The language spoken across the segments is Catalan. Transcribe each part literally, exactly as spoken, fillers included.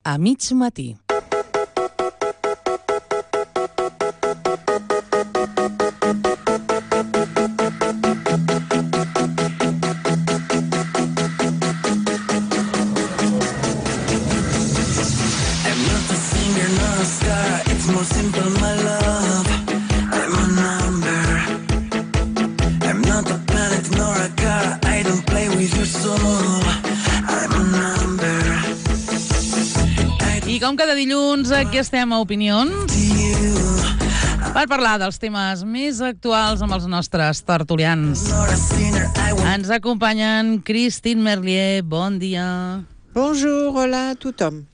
A mig matí. I com cada dilluns, aquí estem a Opinions per parlar dels temes més actuals amb els nostres tertulians. Ens acompanyen Christine Merlier, bon dia. Bonjour, hola a tothom.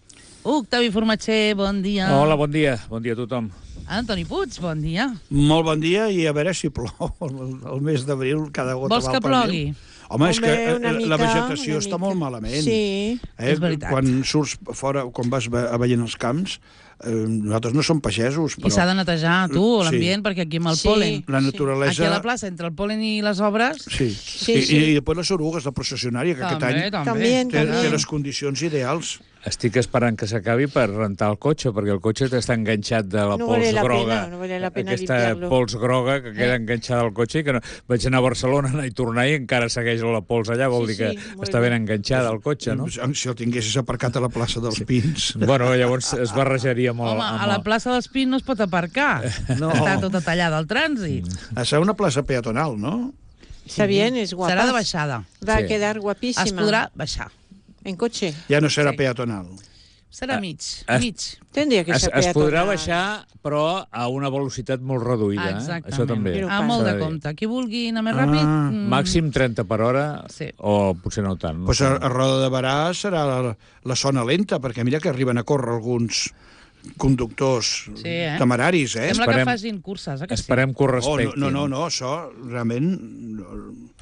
Octavi Formatger, bon dia. Hola, bon dia. Bon dia a tothom. Antoni Puig, bon dia. Molt bon dia i a veure si plou el, el mes d'abril cada gota. Vols que plogui? Home, és que Home, mica, la vegetació està molt malament. Sí, eh? és veritat. Quan surts fora, quan vas a veient els camps, eh, nosaltres no som pagesos, però... I s'ha de netejar, tu, l'ambient, Sí. perquè aquí amb el Sí. pol·len... La naturalesa... Aquí a la plaça, entre el pol·len i les obres... Sí. Sí, I, sí. I, i després les orugues, la processionària, que aquest any També, té, té també. les condicions ideals. Estic esperant que s'acabi per rentar el cotxe, perquè el cotxe està enganxat de la No pols vale la groga. pena, no vale la pena Aquesta limpiarlo. pols groga que queda enganxada al cotxe i que no... vaig anar a Barcelona, anar i tornar i encara segueix la pols allà, vol Sí, dir que sí, molt està ben bé. enganxada al cotxe, no? Si el tinguessis aparcat a la plaça dels Pins. Bueno, llavors es barrejaria molt. Home, amb a la el- plaça dels Pins no es pot aparcar. No. Està tota tallada al trànsit. Ha de ser una plaça peatonal, no? Está bien, es guapa. Serà de baixada. Va Sí. a quedar guapísima. Es podrà baixar. En coche. Ja no serà Sí. peatonal. Serà mig, es- mig. Tendría que Es, ser es podrà peatonal. baixar, però a una velocitat molt reduïda. Eh? Exactament. Això també. Però A molt S'ha de dir. compte. Qui vulgui anar més Ah. ràpid... mm, Màxim trenta per hora, Sí. o potser no tant. No Pues sé. a, a Roda de Barà serà la, la zona lenta, perquè mira que arriben a córrer alguns conductors Sí, eh? temeraris, eh? Sembla Esperem- que facin curses, eh? Que sí? Esperem que ho Oh, respectin. no, no, no, no, això realment...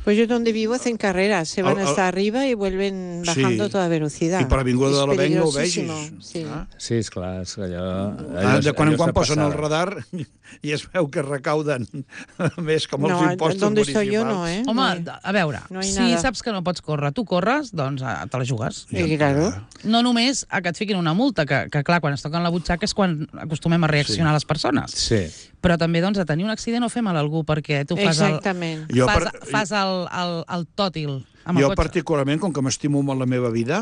Pues yo donde vivo hacen carreras, se van Al- al- hasta arriba y vuelven bajando Sí. toda velocidad. I per l'Avinguda Es de la Venga ho peligrosísimo, vegis. Sí. Ah? Sí, esclar, és que allò... Ah, de quan en allò quan està posen el passada. radar i es veu que recauden més com els No, impostos donde municipals. estoy yo no, ¿eh? Home, No hay- a veure, no hay si nada. saps que no pots córrer, tu corres, doncs eh, te la jugues. Sí, claro. No només a que et fiquin una multa, que, que clar, quan es toquen la butxaca és quan acostumem a reaccionar les persones. Sí. Però també, doncs, a tenir un accident o fer mal a algú, perquè tu fas el, Exactament. Jo, fas, per, fas el, el, el tòtil amb jo el cotxe. particularment, com que m'estimo molt la meva vida,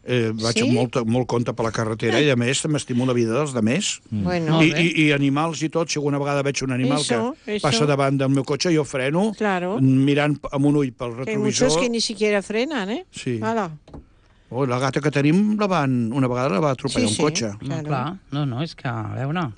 eh, vaig Sí? amb molt, molt compte per la carretera i, a més, m'estimo la vida dels demés. Bueno, Molt I, bé. i, I animals i tot, si alguna vegada veig un animal Eso, que eso. passa davant del meu cotxe, jo freno, Claro. mirant amb un ull pel que hay muchos retrovisor. que ni siquiera frenan, ¿eh? Sí. Hala. Oh, la gata que tenim, la van, una vegada la va atropellar Sí, sí. un cotxe. No, Claro. clar, no, no, és que, a veure...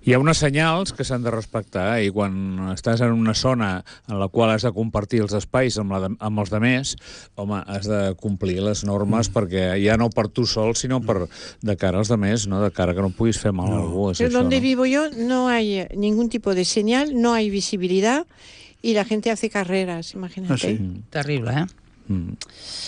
Hi ha uns senyals que s'han de respectar i quan estàs en una zona en la qual has de compartir els espais amb, la de, amb els demés, home, has de complir les normes mm. perquè ja no per tu sol, sinó per de cara als demés, no? De cara que no puguis fer mal no. a algú. És Pero això, donde no? vivo yo no hay ningún tipo de señal, no hay visibilidad y la gente hace carreras, imagínate. Ah, sí? Terrible, eh? Mm.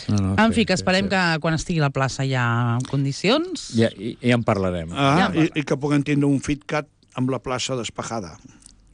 No, no, En sí, fi, que sí, esperem sí. que quan estigui a la plaça ja en condicions... Ja, ja en parlarem. Ah, Ja, i, i que puguem tindre un FitCat amb la plaça despejada.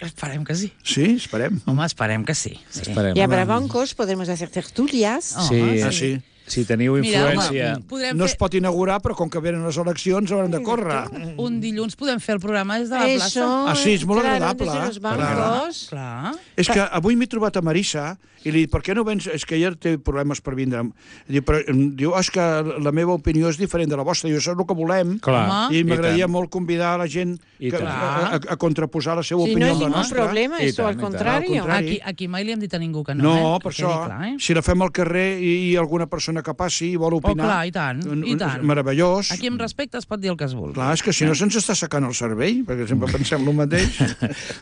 Esperem que sí. Sí? Esperem. Home, esperem que sí. sí. Esperem. Y habrá bancos, podemos hacer tertulias. Oh, Sí, Ah, sí. si teniu Mira, influència... home, podrem No es fer... pot inaugurar, però com que venen les eleccions hauran de córrer. Un dilluns podem fer el programa des de la plaça. Eso, Ah, sí, és molt claro, agradable, desde eh? los bancos. Clar. És que avui m'he trobat a Marissa i li dic, per què no vens? És que ella té problemes per vindre. Diu, però, diu, oh, és que la meva opinió és diferent de la vostra. Diu, això és el que volem. Clar, Home. I i m'agradaria tant. molt convidar a la gent I que, tant. a, a, a contraposar la seva Si opinió no amb hay la ningún nostra. problema, I eso tant, al i tant. contrario. Al contrari. Aquí, aquí mai li hem dit a ningú que no, No, eh? per Que això, quedi clar, eh? si la fem al carrer i, i alguna persona que passi i vol Oh, opinar... clar, i tant, i tant. Meravellós. Aquí amb respecte es pot dir el que es vulgui. Clar, és que si no se'ns està secant el cervell, perquè sempre pensem el mateix.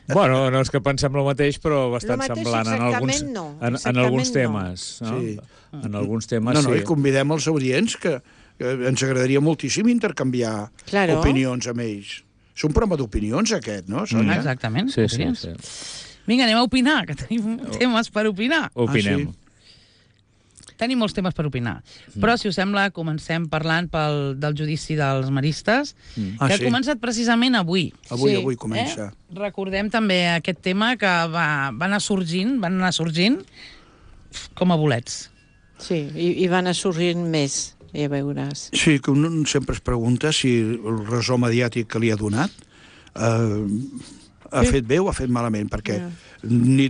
Bueno, no és que pensem el mateix, però bastant mateix semblant en alguns, exactament no, en, en exactament alguns no. temes. No? Sí. En alguns temes No, no, sí. i convidem els audients que, que ens agradaria moltíssim intercanviar Claro. opinions amb ells. És un programa d'opinions, aquest, no, Sònia? Exactament. Sí, sí, opinions. sí. Vinga, anem a opinar, que tenim temes per opinar. Opinem. Ah, sí? Tenim molts temes per opinar. Però, si us sembla, comencem parlant pel, del judici dels maristes, Ah, que sí. ha començat precisament avui. Avui, Sí. avui comença. Eh? Recordem també aquest tema que va, va anar sorgint, van anar sorgint com a bolets. Sí, i, i van a sorgir més. ja veuràs. Sí, que un sempre es pregunta si el ressò mediàtic que li ha donat eh, ha Sí. fet bé o ha fet malament, perquè Ja. ni,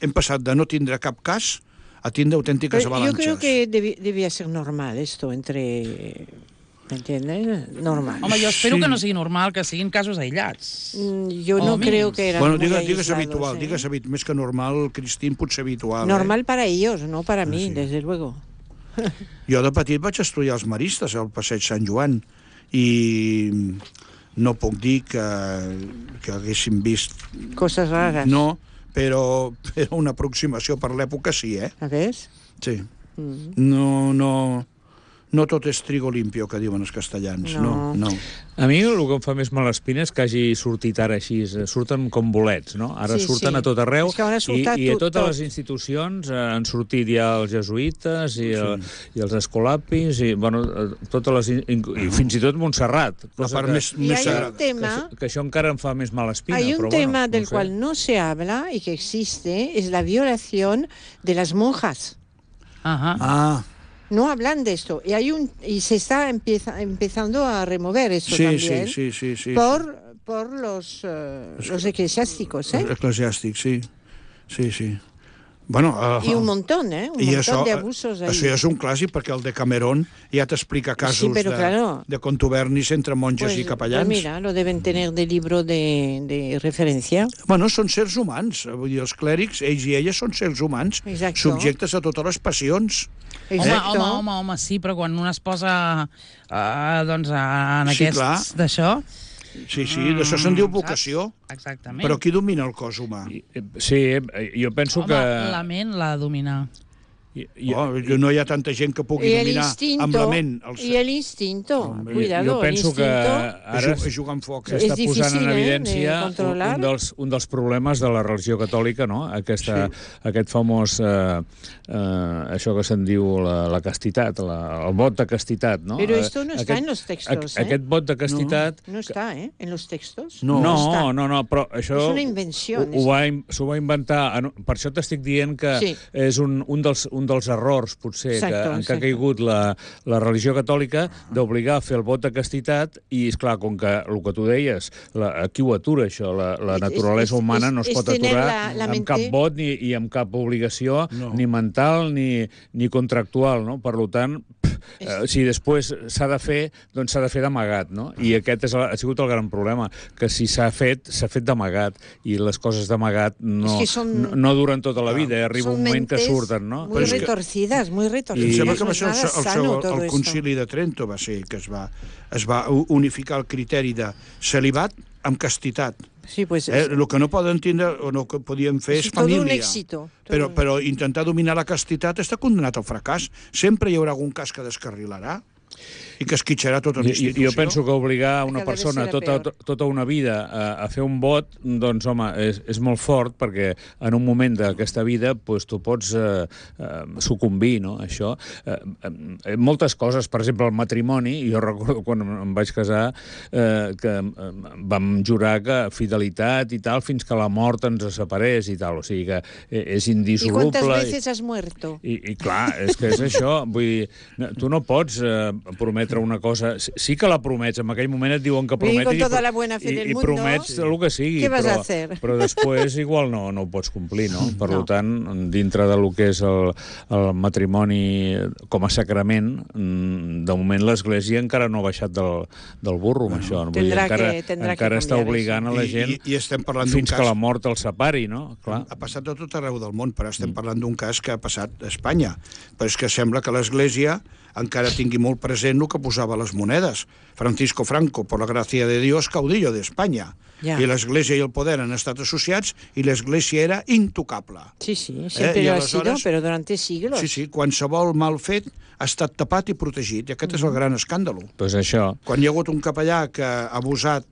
hem passat de no tindre cap cas a tindre autèntiques Pero yo avalanches. creo que debi- debía ser normal esto entre... ¿Me entiendes? Normal. Home, jo espero Sí. que no sigui normal, que siguin casos aïllats. Mm, Yo o no mínims. creo que eran Bueno, muy digues, digues aislados, habitual, ¿eh? digues habitual, més que normal, Cristín, potser habitual. Normal Eh? para ellos, no para mí, sí. desde luego. Jo de petit vaig estudiar els maristes al Passeig Sant Joan i no puc dir que, que haguéssim vist... Cosas raras. No, però, però una aproximació per l'època sí, eh? ¿A ves? Sí. Mm. No, no, no tot és trigo limpio, que diuen els castellans. No, No. no. A mi el que em fa més malespina és que hagi sortit ara així, eh, surten com bolets, no? Ara Sí, surten sí. a tot arreu És que ara i, surta i a tot- totes tot. les institucions eh, han sortit ja els jesuïtes i, el, i els escolapis i, bueno, eh, totes les, in- i fins i tot Montserrat. La cosa part que, més, Y més hay sagrada. un tema, que, això- que això encara em fa més malespina. hay un però, tema bueno, del no sé. cual no se habla y que existe, es la violación de las monjas. Ahà. Ah, No hablan de esto. Y hay un y se está empieza, empezando a remover esto sí, también sí, sí, sí, sí. por, por los, eh, los eclesiásticos, ¿eh? Eclesiàstic, sí. Sí, sí. Bueno, uh, Y un montón, ¿eh? Un I montón això, de abusos ahí. això ja és un clàssic, perquè el Decamerón ja t'explica casos Sí, però de, claro. de contubernis entre monges Pues, i capellans. pues mira, lo deben tener de libro de, de referencia. Bueno, són sers humans. Vull dir, els clèrics, ells i elles, són sers humans, Exacto. subjectes a totes les passions. Home, Exacto. home, home, home, sí, però quan un es posa uh, doncs, a- en Sí, aquests clar. d'això... Sí, sí, d'això se'n diu Mm, vocació. saps? Exactament. Però qui domina el cos humà? I, eh, Sí, eh, jo penso Home, que... la ment l'ha de dominar. I, i, Oh, no hi ha tanta gent que pugui Y el dominar instinto, amb la ment. El... y el instinto, Hombre, cuidado, jo penso el que instinto. ara Ju- jugar amb foc. És s'està posant difícil, en eh, evidència de un, controlar. un, dels, un dels problemes de la religió catòlica, no? Aquesta, sí. Aquest famós, eh, eh, això que se'n diu la, la castitat, la, el vot de castitat, no? Pero Eh, esto no está aquest, en los textos, a, ¿eh? Aquest vot de castitat... No está, ¿eh? En los textos. No. No, está. no, no, però això... És una invenció, ho- Ho va, in- s'ho va inventar... en- Per això t'estic dient que Sí. és un, un, dels, un dels errors, potser, Exacto, que, en què ha exacto. caigut la, la religió catòlica, d'obligar a fer el vot de castitat i, és clar, com que el que tu deies, la, aquí ho atura, això, la, la És- naturalesa és- humana és- no es és pot tener aturar la- la amb mente- cap vot ni, i amb cap obligació, No. ni mental ni, ni contractual, no? Per tant, eh, si després s'ha de fer, doncs s'ha de fer d'amagat, no? I aquest és el, ha sigut el gran problema, que si s'ha fet, s'ha fet d'amagat, i les coses d'amagat no, És que són- no, no duren tota la vida, eh? Arriba Son un moment que mentes surten, no? Muy Però és que- retorcidas, muy Em retorcidas. sembla que No va es ser el, nada el, sano seu, todo el esto. concili de Trento va ser que es va, es va u- unificar el criteri de celibat amb castitat. Sí, pues Eh? es, El que no poden tindre o no que podien fer és es todo un família. éxito. todo Però, un- però intentar dominar la castitat està condenat al fracàs. Sempre hi haurà algun cas que descarrilarà i que esquitxarà tota la Jo, institució. jo penso que obligar una Cada vez persona serà tota, peor. tota una vida a, a fer un vot, doncs, home, és, és molt fort, perquè en un moment d'aquesta vida doncs, tu pots eh, eh, sucumbir, no?, a això. Eh, eh, moltes coses, per exemple, el matrimoni, jo recordo quan em vaig casar eh, que eh, vam jurar que fidelitat i tal, fins que la mort ens separés i tal, o sigui que eh, és ¿Y indissoluble. cuántas veces has muerto? I, I clar, és que és això. Vull dir, no, tu no pots eh, prometre una cosa... Sí, sí que la promets, en aquell moment et diuen que Vull dir, prometis... con toda i, la buena fe i, del i mundo, promets el que sigui, ¿qué vas però, a hacer? però després igual no, no ho pots complir, no? Per No. tant, dintre del que és el, el matrimoni com a sacrament, mm, de moment l'Església encara no ha baixat del, del burro amb això. Vull dir, Tendrà encara que- tendrà que encara està canviar obligant a la I, gent i, I estem parlant d'un fins cas... que la mort el separi, no? Clar. Ha passat a tot arreu del món, però estem parlant d'un cas que ha passat a Espanya. Però és que sembla que l'Església encara tingui molt present el que posava a les monedes. Francisco Franco, por la gracia de Dios, caudillo de España. Ja. I l'Església i el poder han estat associats i l'Església era intocable. Sí, sí, siempre Eh, y lo ha aleshores- sido, pero durante siglos. Sí, sí, qualsevol mal fet ha estat tapat i protegit, i aquest és el gran escàndol. Doncs això. Quan hi ha hagut un capellà que ha abusat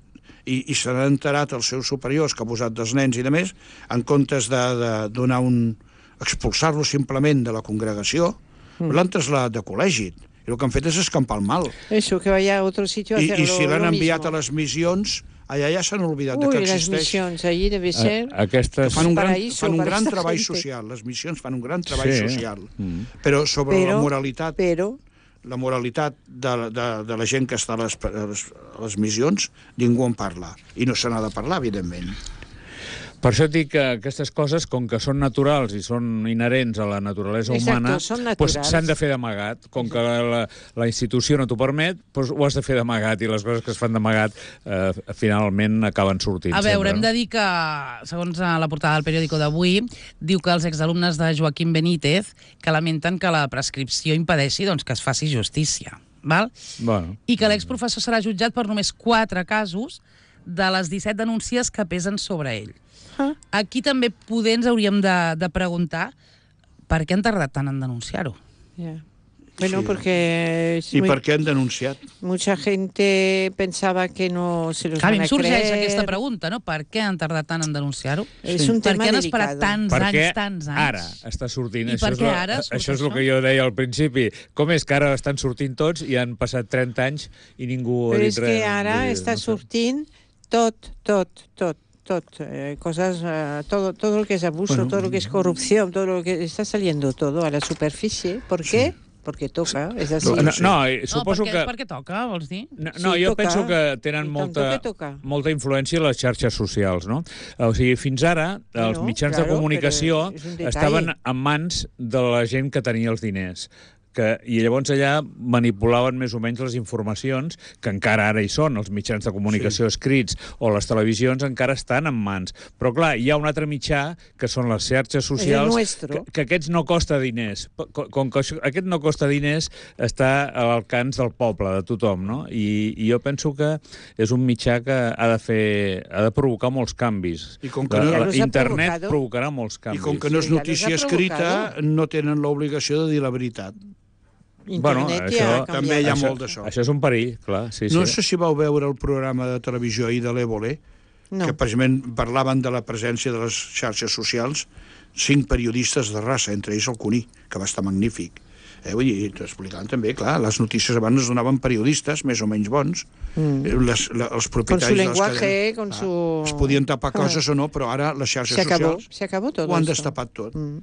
i, i se n'han enterat els seus superiors que ha abusat dels nens i de més, en comptes de, de donar un... expulsar-lo simplement de la congregació, mm. l'han traslladat de col·legi. I el que han fet és escampar el mal. Eso, que vaya a otro sitio a I, hacerlo i si l'han lo enviat mismo. a les missions, allà ja s'han oblidat de Uy, que las existeix. misiones, allí debe ser... A, aquestes... Fan un gran, paraíso fan un para gran esta treball gente. social. Les missions fan un gran treball Sí. social. Mm. Però sobre Pero- la moralitat Pero la moralitat de, de, de la gent que està a les, a les, a les missions, ningú en parla. I no se n'ha de parlar, evidentment. Per això et dic que aquestes coses, com que són naturals i són inherents a la naturalesa humana, doncs s'han de fer d'amagat. Com que la, la institució no t'ho permet, doncs ho has de fer d'amagat, i les coses que es fan d'amagat eh, finalment acaben sortint. A veure, sempre, hem no? de dir que, segons la portada del periòdico d'avui, diu que els exalumnes de Joaquim Benítez que lamenten que la prescripció impedeixi doncs, que es faci justícia. Val? Bueno. I que l'exprofessor serà jutjat per només quatre casos de les disset denúncies que pesen sobre ell. Ah. Aquí també poder ens hauríem de, de preguntar per què han tardat tant en denunciar-ho. Yeah. Bueno, Sí. porque... es I muy- per què han denunciat? mucha gente pensaba que no se los Clar, a mi van em a sorgeix creer. aquesta pregunta, no? Per què han tardat tant en denunciar-ho? És un Per tema què han esperat delicado. tants Perquè anys, tants anys? ara està sortint. I això per és què la- ara surt Això és el això? que jo deia al principi. Com és que ara estan sortint tots i han passat trenta anys i ningú ha Però dit és res? que ara Vull dir, està no sé. sortint tot, tot, tot, tot, eh, cosas, eh, todo, todo lo que es abuso, Bueno. todo lo que es corrupción, todo lo que está saliendo todo a la superficie. ¿Por qué? Porque toca, es así. No, no, i No, suposo perquè, que... perquè toca, vols dir? No, no Sí, jo toca. penso que tenen I tant molta, que toca. molta influència les xarxes socials, no? O sigui, fins ara els Bueno, mitjans claro, de comunicació però és un detall. estaven en mans de la gent que tenia els diners. Que, i llavors allà manipulaven més o menys les informacions, que encara ara hi són, els mitjans de comunicació sí. escrits o les televisions encara estan en mans. Però clar, hi ha un altre mitjà, que són les xarxes socials, nuestro. que, que aquests no costa diners. Com, com que això, aquest no costa diners, està a l'alcance del poble, de tothom, no? I, i jo penso que és un mitjà que ha de fer, ha de provocar molts canvis. I com que La- no- la- Ja los ha Internet provocado. provocarà molts I canvis. com que no és Sí, ja les notícia ha escrita, provocado. no tenen l'obligació de dir la veritat. Internet Bueno, ja això ha també hi ha canviat. molt d'això. Això és un perill, clar, sí, sí. No sé si vau veure el programa de televisió ahir de l'Évole, No. que precisament parlaven de la presència de les xarxes socials, cinc periodistes de raça, entre ells el Cuní, que va estar magnífic. Eh, vull dir, t'explicant també, clar, les notícies abans es donaven periodistes, més o menys bons, mm. les, la, els Con propietaris su de les lenguaje, cadenes. con Ah, su... Es podien tapar coses o no, però ara les xarxes Se acabó, socials se acabó todo ho han esto. destapat tot. Mm.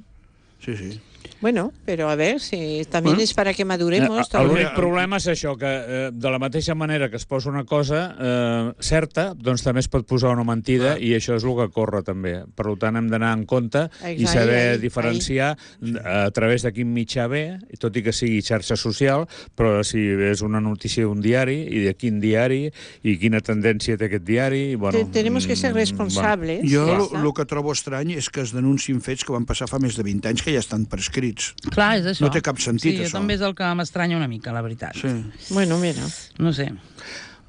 Sí, sí. Bueno, pero a ver, si también Bueno. es para que maduremos. Eh, el también. únic problema és això, que eh, de la mateixa manera que es posa una cosa eh, certa, doncs també es pot posar una mentida, Clar. i això és el que corre també. Per tant, hem d'anar en compte i Ahí, saber ahí, diferenciar a través de quin mitjà ve, tot i que sigui xarxa social, però si és una notícia d'un diari, i de quin diari, i quina tendència té aquest diari... Bueno, Te- Tenemos que ser mm, responsables. Jo ja el està. que trobo estrany és que es denunciin fets que van passar fa més de vint anys que ja estan prescrits. Clar, és això. No té cap sentit, sí, això. també és el que m'estranya una mica, la veritat. Sí. Bueno, mira. No sé.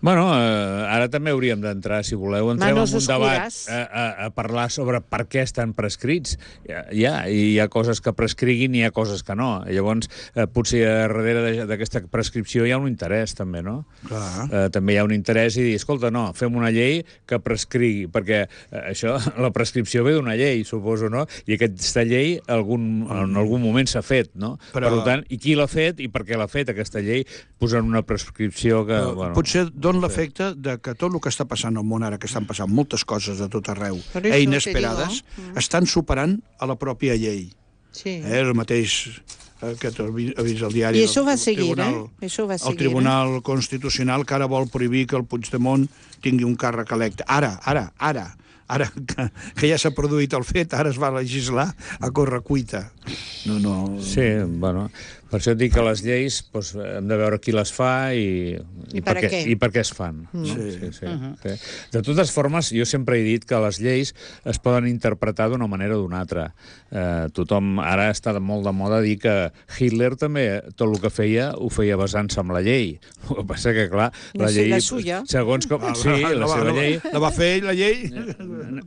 Bueno, eh, ara també hauríem d'entrar, si voleu, entrem Manos en un debat oscuras. a, a, a parlar sobre per què estan prescrits. Hi ha, hi ha, hi ha coses que prescriguin i hi ha coses que no. I llavors, eh, potser darrere de- d'aquesta prescripció hi ha un interès, també, no? Clar. Eh, també hi ha un interès i dir, escolta, no, fem una llei que prescrigui, perquè eh, això, la prescripció ve d'una llei, suposo, no? I aquesta llei algun, en algun moment s'ha fet, no? Però- Per tant, i qui l'ha fet i per què l'ha fet, aquesta llei, posant una prescripció que... Però bueno, potser dona l'efecte de que tot el que està passant al món ara, que estan passant moltes coses de tot arreu, Per això eh, te inesperades, digo. estan superant a la pròpia llei. Sí. Eh, el mateix eh, que t'ha vi- ha vist el diari. I això va el seguir, tribunal, eh? Això va El seguir, Tribunal Constitucional que ara vol prohibir que el Puigdemont tingui un càrrec electe. Ara, ara, ara. Ara que, que ja s'ha produït el fet, ara es va legislar a correcuita. No, no... Sí, bueno, per això et dic que les lleis doncs, hem de veure qui les fa i, I per, per què, què. i per què es fan. No? Sí. Sí, sí, sí. De totes formes, jo sempre he dit que les lleis es poden interpretar d'una manera o d'una altra. Eh, tothom ara està de molt de moda dir que Hitler també tot el que feia ho feia basant-se en la llei. El que passa que, clar, No la sé, llei... la suya. Segons com... Ah, Sí, la va- seva va- llei... La va fer ell, la llei?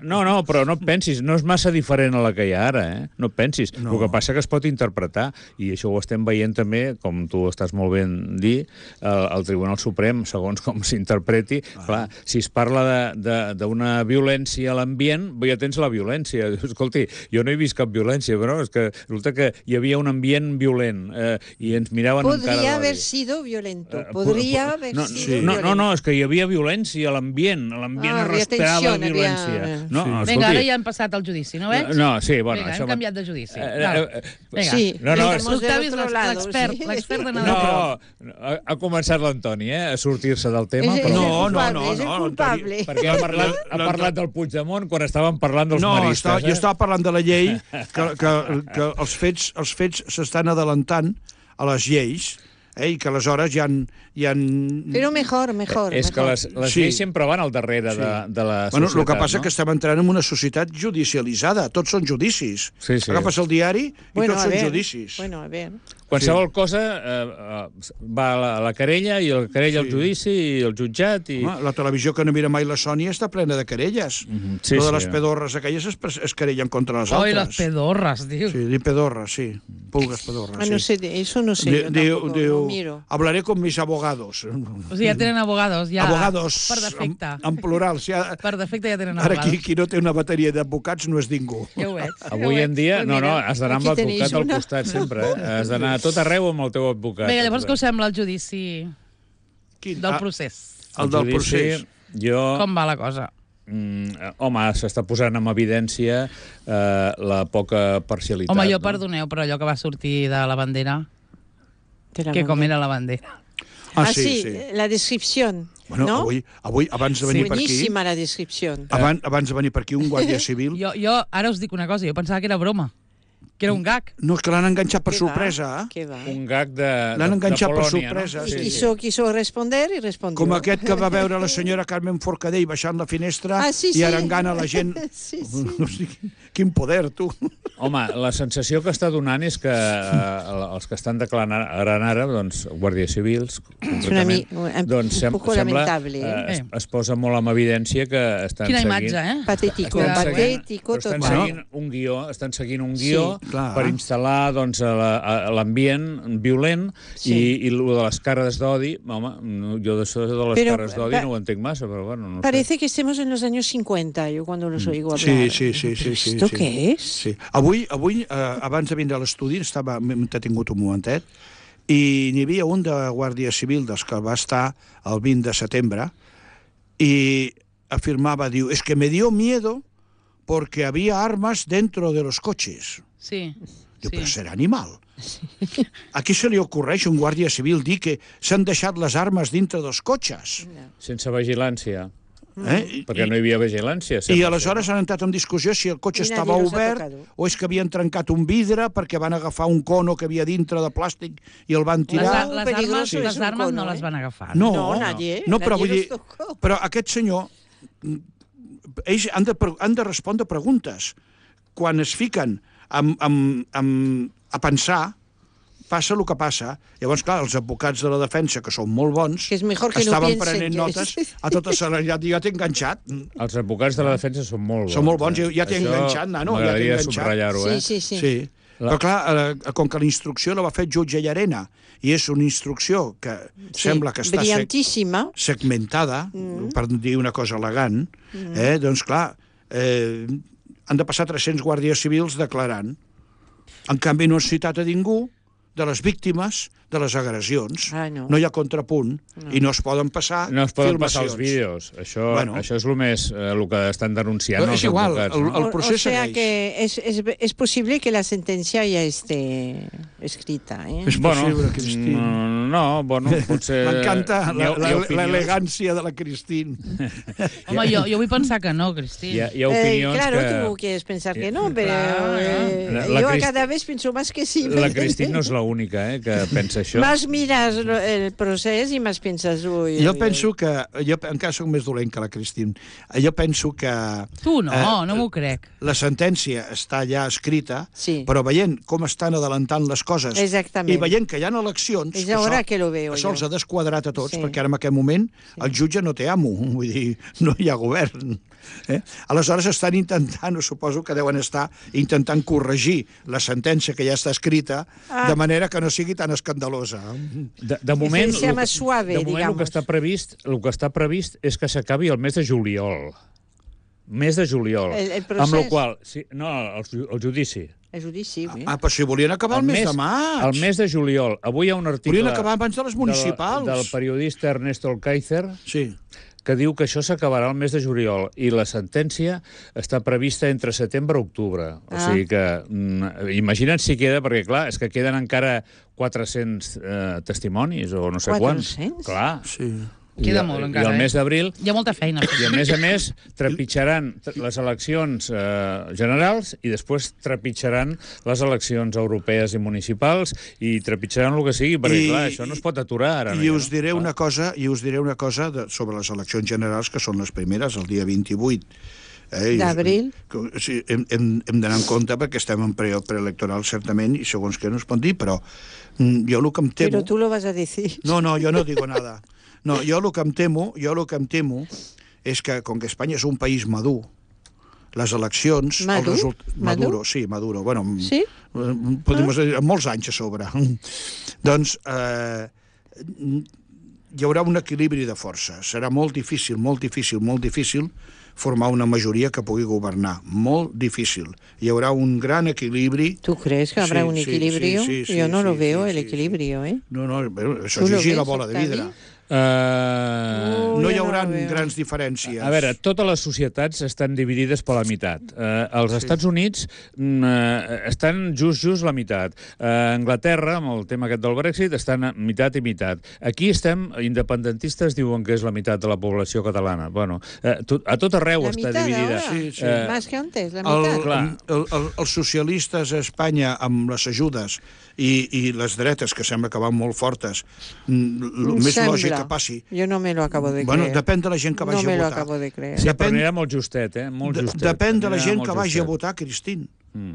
No, no, però no et pensis, no és massa diferent a la que hi ha ara, eh? No et pensis. No. El que passa que es pot interpretar, i això ho estem veient també, com tu estàs molt ben dir, el, el Tribunal Suprem, segons com s'interpreti. Ah. Clar, si es parla d'una violència a l'ambient, ja tens la violència. Escolti, jo no he vist cap violència, però és que resulta que hi havia un ambient violent eh, i ens miraven amb cara Podría d'odi. haver sido violento. Eh, Podría po- haber no, sido sí. no, violento. no, no, és que hi havia violència a l'ambient. A l'ambient Ah, es havia respirava tensió, havia- violència. No, Sí. escolti, Vinga, ara ja hem passat al judici, no veig? No, sí, bueno... Vinga, això hem va- canviat de judici. Eh, Val. eh, eh, Vinga. Sí, No, no, Els estamos del Octavis otro les lado. abogados. l'expert, sí. l'expert de No, Nadal. ha, ha començat l'Antoni, eh, a sortir-se del tema. És, però... és el No, no, culpable, no, és el no, culpable. Perquè ha parlat, ha La- parlat del Puigdemont quan estàvem parlant dels No, maristes. estava, eh? jo estava parlant de la llei, que, que, que els fets els fets s'estan adelantant a les lleis, eh, i que aleshores hi ha... Hi ha... Però mejor, mejor. És que mejor. les, les Sí. lleis sempre van al darrere Sí. de, de la Bueno, societat, el que passa no? que estem entrant en una societat judicialitzada. Tots són judicis. Sí, sí. Agafes el diari i Bueno, tots a són ver, judicis. Bueno, a ver. Qualsevol cosa eh, eh, va a la, a la querella, i el querella al Sí. judici, i el jutjat... I... Home, la televisió que no mira mai la Sònia està plena de querelles. Mhm, sí, Lo de sí. les pedorres aquelles es, es querellen contra les Oi, altres. les pedorres, diu. Sí, di pedorres, sí. Pulgues pedorres, Ah, no sí. sé, de- eso no sé. Di- yo diu, tampoco, diu, no miro. hablaré con mis abogados. O sigui, ja tenen abogados, ja. abogados, Per defecte. en, en plural. Si ha, Per defecte ja tenen ara abogados. aquí, qui no té una bateria d'advocats no és ningú. Ja ho veig. Avui en dia, Pues no, no, mira, has d'anar amb aquí tenéis l'advocat al una. costat sempre, eh? Has d'anar a tot arreu amb el teu advocat. Vinga, llavors què us sembla el judici Quin? del Ah, procés? el del judici, procés. Jo... Com va la cosa? Mm, home, s'està posant en evidència eh, la poca parcialitat. Home, jo no? perdoneu, però allò que va sortir de la bandera, Te la que com mando. era la bandera. Ah, Ah, sí, sí, sí. la descripción, Bueno, ¿no? avui, avui, abans de venir per aquí... Buenísima la descripción. Abans, abans de venir per aquí, un guàrdia civil... Jo, jo ara us dic una cosa, jo pensava que era broma, que era un gag. No, és que l'han enganxat per ¿Qué sorpresa, va? eh? ¿Qué va? Un gag de, L'han de, enganxat de per Polònia, sorpresa, no? Y sí, quiso, quiso responder y respondió. Com aquest que va veure la senyora Carmen Forcadell baixant la finestra Ah, sí, i sí. arengant a la gent. Sí, sí. O sigui, quin poder, tu. Home, la sensació que està donant és que eh, els que estan declarant ara, doncs, guàrdies civils, una mi- concretament, un- doncs, un sem poco sembla, lamentable, eh, es, eh? es posa molt en evidència que estan Quina seguint... imatge, eh? Patético, Estan Cuidado, seguint, patético però estan total. seguint un guió, estan seguint un guió Sí. Clar. per instal·lar doncs, a la- a l'ambient violent Sí. i, i el de les cares d'odi, home, no, jo d'això de les Però, cares d'odi pa- no ho entenc massa, però bueno, no sé. Parece que estemos en los años cincuenta, yo cuando los oigo hablar. Sí, sí, sí. sí, sí ¿Esto sí. qué es? Sí. Avui, avui eh, abans de vindre a l'estudi, estava, m'he entretingut un momentet, i n'hi havia un de Guàrdia Civil dels que va estar el vint de setembre, i afirmava, diu, es que me dio miedo porque había armas dentro de los coches. Sí. Diu, sí. però serà animal. A qui se li ocorreix un guàrdia civil dir que s'han deixat les armes dintre dels cotxes? Sense vigilància, Eh? perquè no hi havia vigilància. I sempre. aleshores han entrat en discussió si el cotxe I nadie estava los ha obert tocado. o és que havien trencat un vidre perquè van agafar un cono que havia dintre de plàstic i el van Les, tirar. ar- Muy les armes, peligroso les es un armes no cono, les eh? van agafar. No, No, nadie, no, però nadie vull dir, los tocó. però aquest senyor, mm, ells han de, pre- han de respondre preguntes. Quan es fiquen amb, amb, amb, a pensar, passa el que passa. Llavors, clar, els advocats de la defensa, que són molt bons, Que és millor que no estaven piensen prenent que notes, és- a tota serenitat, ja t'he enganxat. Els advocats de la defensa són molt bons. Són molt bons, eh? ja t'he Això enganxat, nano, ja t'he m'agradaria enganxat. subratllar-ho, eh? Sí, sí, sí. Sí. La- Però clar, eh, com que la instrucció la va fer jutge Llarena i és una instrucció que Sí, sembla que està sec brillantíssima. segmentada, mm. per dir una cosa elegant, mm. eh, doncs clar, eh, han de passar tres-cents guàrdies civils declarant. En canvi, no han citat a ningú de les víctimes de les agressions. Ah, no. no hi ha contrapunt no. i no es poden passar No es poden filmacions. passar els vídeos. Això, Bueno. això és el més eh, el que estan denunciant Però els és igual, advocats. el- no? el- O- procés o sea segueix. que es, es, es posible que la sentencia ya esté escrita, ¿eh? És possible, Cristín. mm, no, bueno, potser... M'encanta hi ha- la- hi ha la- opinions- l'elegància de la Cristín. Home, jo, jo vull pensar que no, Cristín. Hi ha, hi ha Eh, opinions claro, que... tú quieres pensar que Sí. no, pero Claro, eh, La- la yo Crist- cada vez pienso más que sí. ¿me La entiendes? Cristín no és l'única eh, que pensa això. Más miras lo- el proceso y más piensas, uy, Jo uy, penso que... Jo encara soc més dolent que la Cristín. Jo penso que... Tu no, eh, no m'ho crec. La sentència està ja escrita, Sí. però veient com estan adelantant les coses Exactament. i veient que hi ha eleccions... És que ahora això- que lo veo Això jo. els ha desquadrat a tots, Sí. perquè ara en aquest moment el jutge no té amo, vull dir, no hi ha govern. Eh? Aleshores estan intentant, o suposo que deuen estar intentant corregir la sentència que ja està escrita, Ah. de manera que no sigui tan escandalosa. De, de moment, sea lo más que- suave, de moment el digamos. que està previst, el que està previst és que s'acabi el mes de juliol. Mes de juliol. El- el Amb procés? la qual, sí, no, el, ju- el judici. El judici, oui. Ah, però si volien acabar el, mes, de maig. El mes de juliol. Avui hi ha un article... Volien acabar abans de les municipals. Del, del periodista Ernesto Alcáizer, Sí. que diu que això s'acabarà el mes de juliol i la sentència està prevista entre setembre i octubre. O Ah. sigui que, mm, imagina't si queda, perquè clar, és que queden encara quatre-cents eh, testimonis o no sé quants. quatre-cents? Clar. Sí. Queda I, molt I encara, el eh? mes d'abril Hi ha molta feina. i, a més a més, trepitjaran les eleccions eh, generals i després trepitjaran les eleccions europees i municipals i trepitjaran el que sigui, perquè, I- clar, això no es pot aturar ara. I no? us diré Clar. una cosa, i us diré una cosa de, sobre les eleccions generals, que són les primeres, el dia vint-i-vuit. Eh, i us- D'abril. que- O sigui, hem hem, hem d'anar en compte perquè estem en pre preelectoral, certament, i segons què no es pot dir, però mm, jo el que em temo... Pero tú lo vas a decir. No, no, jo no digo nada. No, jo el que em temo, jo el que em temo és que, com que Espanya és un país madur, les eleccions... el Madur? result... Madur? Maduro, sí, Maduro. Bueno, Sí? eh, podem dir, amb molts anys a sobre. Doncs eh, hi haurà un equilibri de força. Serà molt difícil, molt difícil, molt difícil formar una majoria que pugui governar. Molt difícil. Hi haurà un gran equilibri. ¿Tú crees que habrá Sí, un sí, equilibrio? sí, sí, Yo no sí, lo sí, veo, sí, el sí. equilibrio, ¿eh? No, no, això Tu és lo llegir la ves, bola de Octavi? vidre. Uh, Ui, No hi jo haurà no ho veo. grans diferències. A veure, totes les societats estan dividides per la meitat. Eh, els sí. Estats Units mm, eh, estan just, just la meitat. Eh, Anglaterra, amb el tema aquest del Brexit, estan a meitat i meitat. Aquí estem, independentistes diuen que és la meitat de la població catalana. Bueno, eh, tot, a tot arreu La està mitad dividida. ahora, Sí, sí. Eh, más que antes, la El, mitad. Clar. el, el, els socialistes a Espanya, amb les ajudes, i, i les dretes, que sembla que van molt fortes, mm, el Em més sembla. lògic que passi... Yo no me lo acabo de Bueno, creer. depèn de la gent que vagi no me a lo votar. acabo de creer. Sí, Depèn- però anirà molt justet, eh? Molt De, justet. depèn de la Anirà gent molt que vagi a justet. votar, Cristín. Mm.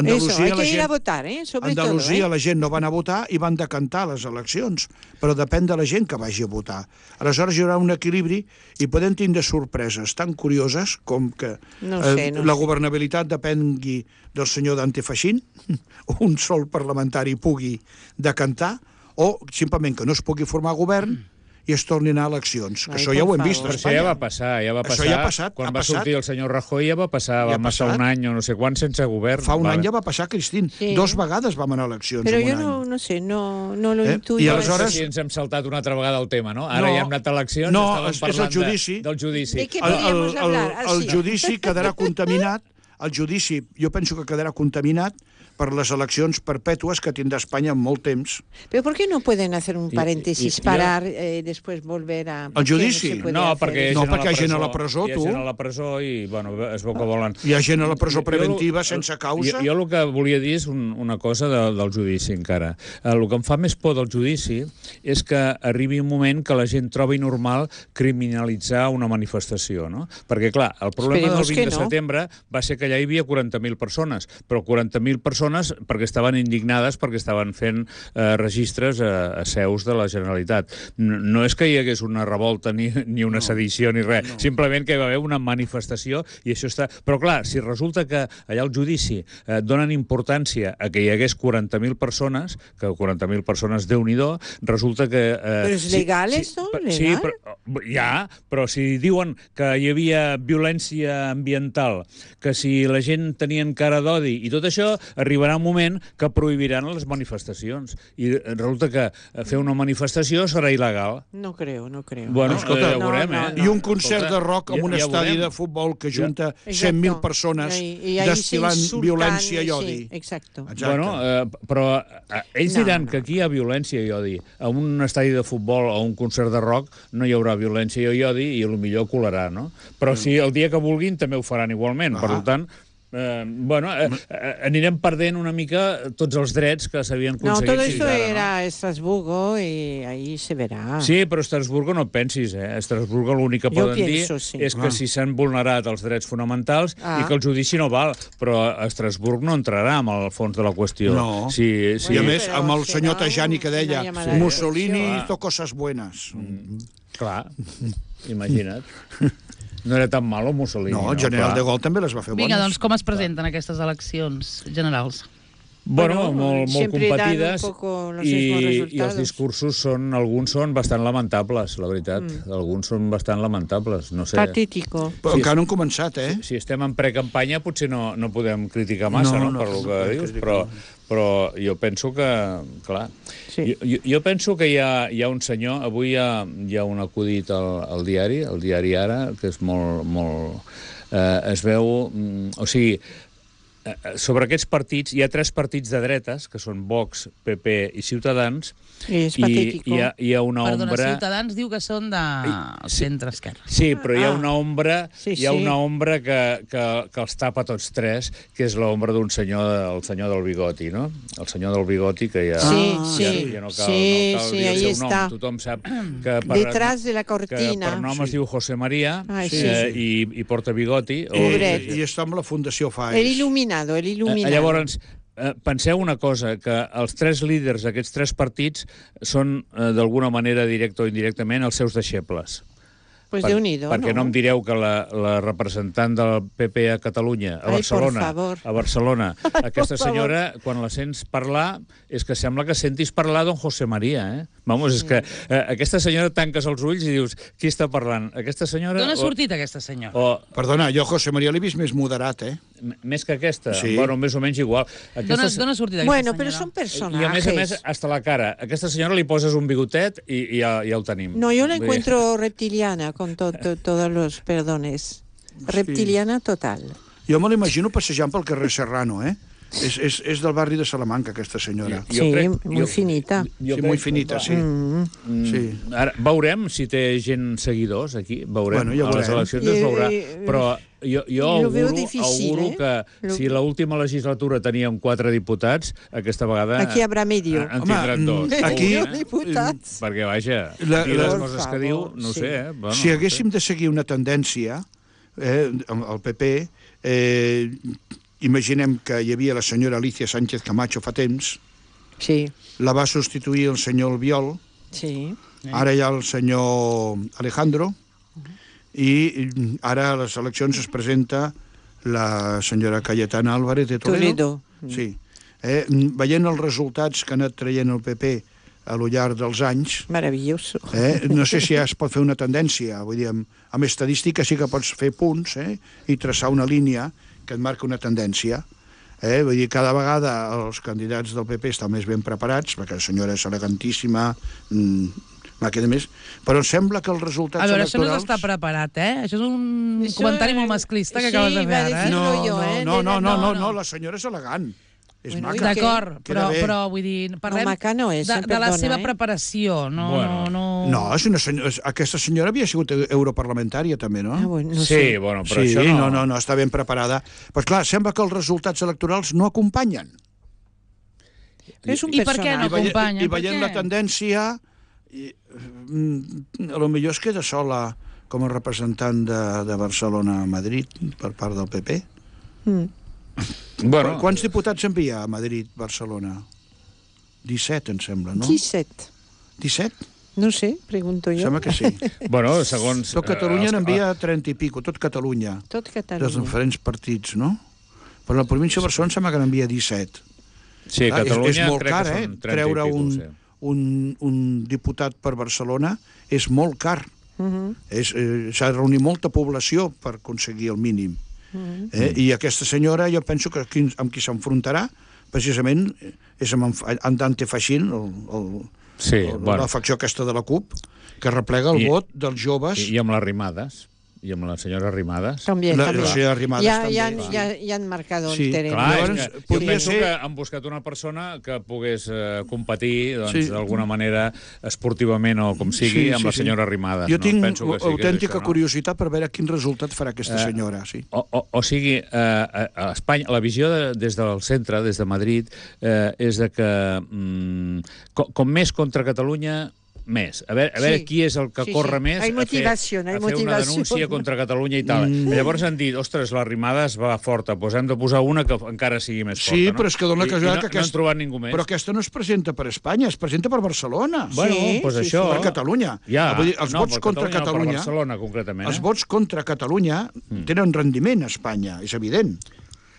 Eso, hay la que ir gent- a votar, ¿eh? Sobre Andalusia todo, ¿eh? la gent no van a votar i van decantar les eleccions, però depèn de la gent que vagi a votar. Aleshores hi haurà un equilibri i podem tindre sorpreses tan curioses com que No sé, eh, no la sé. governabilitat depengui del senyor Dante Fachin, un sol parlamentari pugui decantar, o simplement que no es pugui formar govern i es tornin a eleccions, que Ai, això ja ho por hem vist a Però això Espanya. ja va passar, ja va Això passar. ja ha passat, Quan ha va passat. sortir el senyor Rajoy ja va passar, Ja va ha passar passat. un any o no sé quan sense govern. Fa un Vale. any ja va passar, Cristín. Sí. Dos vegades vam anar a eleccions Pero en yo un no, any. no sé, no, no lo Eh? intuyo. I No aleshores- sé si ens hem saltat una altra vegada el tema, no? Ara No. ja hem anat a eleccions, No, estàvem és- és parlant el judici. De, del judici. De què el, podríamos el, hablar? el, Así. el judici quedarà contaminat, el judici jo penso que quedarà contaminat per les eleccions perpètues que tindrà Espanya en molt temps. Pero ¿por qué no pueden hacer un Y- paréntesis, y- y- parar, eh, después volver a... ¿por El qué no judici? se puede No, hacer perquè, eso? No, perquè hi ha gent a la presó, hi ha tu. gent a la presó i, bueno, es veu que volen... Hi ha gent a la presó Jo- jo- preventiva sense causa. Jo, jo el que volia dir és un, una cosa de, del judici, encara. El que em fa més por del judici és que arribi un moment que la gent trobi normal criminalitzar una manifestació, no? Perquè, clar, el problema Esperemos del que vint de no. setembre va ser que allà hi havia quaranta mil persones, però quaranta mil persones perquè estaven indignades perquè estaven fent eh, registres a, a seus de la Generalitat. No, no és que hi hagués una revolta ni, ni una sedició ni res, no. Simplement que hi va haver una manifestació i això està... Però clar, si resulta que allà al judici eh, donen importància a que hi hagués quaranta mil persones, que quaranta mil persones, Déu-n'hi-do, resulta que... Eh, Però és legal, esto? Sí, Legal? però, ja, però si diuen que hi havia violència ambiental, que si la gent tenien cara d'odi i tot això, arribarà un moment que prohibiran les manifestacions. I resulta que fer una manifestació serà il·legal. No creo, no creo. Bueno, Escolta, ja ho veurem, no, eh? no. I un concert de rock amb ja- un ja estadi veurem. de futbol que junta Exacto. cent mil persones I, i ahí destil·lant se insultan, violència i sí, odi. exacto. Exacte. Bueno, eh, però eh, ells No, diran no. que aquí hi ha violència i odi. A un estadi de futbol o un concert de rock no hi haurà violència i odi i potser colarà, no? Però si el dia que vulguin també ho faran igualment. Ah. Per tant, eh, bueno, eh, eh, anirem perdent una mica tots els drets que s'havien No, aconseguit todo fins esto ara, era Estrasburgo y ahí se verá. no? Sí, però a Estrasburgo no et pensis, eh? A Estrasburgo l'únic que Jo poden pienso, dir sí. és que Ah. si s'han vulnerat els drets fonamentals Ah. i que el judici no val, però a Estrasburg no entrarà amb el fons de la qüestió. No. Sí, sí. I a Bueno, més, però amb el serà senyor Tajani que una deia llamada de Mussolini atenció. hizo cosas buenas. Clar, imagina't. No era tan malo Mussolini. No, el general Clar. de Gaulle també les va fer bones. Vinga, doncs com es presenten aquestes eleccions generals? Bueno, molt, molt siempre dan competides un poco los i, mismos i resultados. els discursos són, alguns són bastant lamentables, la veritat. Mm. Alguns són bastant lamentables, no sé. Patético. Però Sí, encara no han començat, eh? Si estem en precampanya potser no, no podem criticar massa, No, no, no, per no el que podem dius, criticar. però, però jo penso que, clar, Sí. jo, jo, jo penso que hi ha, hi ha un senyor, avui hi ha, hi ha un acudit al, al diari, al diari Ara, que és molt, molt eh, es veu, mm, o sigui, sobre aquests partits, hi ha tres partits de dretes, que són Vox, P P i Ciutadans, És i patético. hi ha, hi ha una Perdona, ombra... Ciutadans diu que són de Sí. centre-esquerra. Sí, però hi ha Ah. una ombra, Sí, hi ha sí. una ombra que, que, que els tapa tots tres, que és l'ombra d'un senyor, el senyor del bigoti, no? El senyor del bigoti, que ja, Sí, ja, sí. ja no cal, Sí, no cal sí, dir el ahí seu està. nom. Tothom sap que per, Detrás de la que cortina. per nom Sí. es diu José María Ai, sí. eh, i, i porta bigoti. I, Pobret. I està amb la Fundació Faes. El il·luminado, el Eh, il·luminado. Llavors, eh, penseu una cosa, que els tres líders d'aquests tres partits són, eh, d'alguna manera, directa o indirectament, els seus deixebles. Pues Per- Déu-n'hi-do, perquè no? no em direu que la, la representant del P P a Catalunya, a Ai, Barcelona, por favor. a Barcelona, aquesta por senyora, quan la sents parlar, és que sembla que sentis parlar don José María, eh? Vamos, és que eh, aquesta senyora tanques els ulls i dius, qui està parlant? Aquesta senyora... D'on ha o- sortit aquesta senyora? O, Perdona, jo José María l'he vist més moderat, eh? m- més que aquesta? Sí. Bueno, més o menys igual. D'on ha, d'on ha sortit aquesta Bueno, senyora? pero son personajes. I a més a més, hasta la cara. A aquesta senyora li poses un bigotet i, i ja, ja el tenim. No, yo la Vull dir- encuentro reptiliana, con to- to- todos los perdones. Reptiliana total. Jo me l'imagino passejant pel carrer Serrano, eh? És, és, és del barri de Salamanca, aquesta senyora. Jo Sí, crec- muy jo- finita. Jo Sí, crec muy que, finita, clar, sí. Mm. Sí. Ara, veurem si té gent seguidors aquí, veurem. Bueno, ja a les veurem. eleccions es veurà. Eh, eh, Però jo, jo lo veo auguro, difícil, auguro eh? que Lo- si l'última legislatura teníem quatre diputats, aquesta vegada... Aquí habrá medio. En Home, tindran dos. mm, aquí- o un, Medio diputats. Perquè, vaja, La- dir les la- coses Por que diu, favor, no sí. sé, eh? Bueno, Si haguéssim de seguir una tendència, eh, amb el P P, eh, imaginem que hi havia la senyora Alicia Sánchez Camacho fa temps, Sí, la va substituir el senyor Albiol, sí. ara hi ha el senyor Alejandro, i ara a les eleccions es presenta la senyora Cayetana Álvarez de Toledo. Toledo. Sí. Eh, veient els resultats que ha anat traient el P P a lo llarg dels anys, Maravilloso. eh, no sé si ja es pot fer una tendència, vull dir, amb, amb estadística sí que pots fer punts, eh, i traçar una línia que et marca una tendència. Eh? Vull dir, cada vegada els candidats del P P estan més ben preparats, perquè la senyora és elegantíssima, mmm, màquina més, però em sembla que els resultats A veure, això no és electorals... estar preparat, eh? Això és un Això, comentari eh, molt masclista que sí, acabes de va fer, a ara, eh? decir- No, jo, no, eh? no, no, no, no, No, no, no. la senyora és elegant. És Bueno, maca. i què? D'acord, Queda però, bé. però vull dir, parlem maca no és, de, eh, de la perdona, seva eh? preparació, no, Bueno. no, no... No, és una senyora, aquesta senyora havia sigut europarlamentària, també, no? Ah, bueno, no sí, sé. bueno, però sí, això no... no, no, no, està ben preparada. Però, clar, sembla que els resultats electorals no acompanyen. És un I per què no personatge. I, veient, acompanya? i Per veient què? la tendència, i, mm, a lo millor es queda sola com a representant de, de Barcelona a Madrid per part del P P. Mm. Bueno, Quants diputats envia a Madrid, Barcelona? disset, em sembla, no? disset. disset? No sé, pregunto jo. Sembla que sí. bueno, segons... Tot Catalunya eh, els- n'envia trenta i pico, tot Catalunya, Tot dels Catalunya. diferents partits, no? Però la província de Barcelona sembla que n'envia disset. Sí, Clar, Catalunya és, és molt crec car, que eh? són trenta Treure i pico, un, sí. un, un diputat per Barcelona és molt car. Mhm. És, eh, s'ha de reunir molta població per aconseguir el mínim. Mhm. Eh? I aquesta senyora, jo penso que qui, amb qui s'enfrontarà, precisament, és amb en, en Dante Fachin, el, el, Sí, el, bueno. la facció aquesta de la CUP, que replega el I- vot dels joves. I, I amb les Rimades, i amb la senyora Rimades. También, La- también. la senyora Arrimadas ya, també, ya, sí. ya, ya han marcado Sí, el terreno. Clar, Llavors, és que jo podria penso ser- que han buscat una persona que pogués eh, competir doncs, Sí. d'alguna manera esportivament o com sigui Sí, amb sí, la sí. senyora Rimades. Jo no? tinc penso que sí, que és autèntica això, no? curiositat per veure quin resultat farà aquesta Eh, senyora. Sí. O, o, o sigui, eh, a, a Espanya, la visió de, des del centre, des de Madrid, eh, és de que mm, com, com més contra Catalunya, més. A veure, a veure Sí. qui és el que Sí, corre sí. més Hay a fer, motivación, hay a fer una motivación. denúncia contra Catalunya i tal. Mm. Llavors han dit, ostres, la Rimades va forta, doncs hem de posar una que encara sigui més forta. Sí, no? però és que dona I, i casualitat no, que no han aquest- trobat ningú més. Però aquesta no es presenta per Espanya, es presenta per Barcelona. Bueno, Sí, doncs sí, això... Per Catalunya. Ja, Vull dir, els no, vots per contra Catalunya, no, Catalunya... per Barcelona, concretament. Els Eh? vots contra Catalunya tenen rendiment a Espanya, és evident.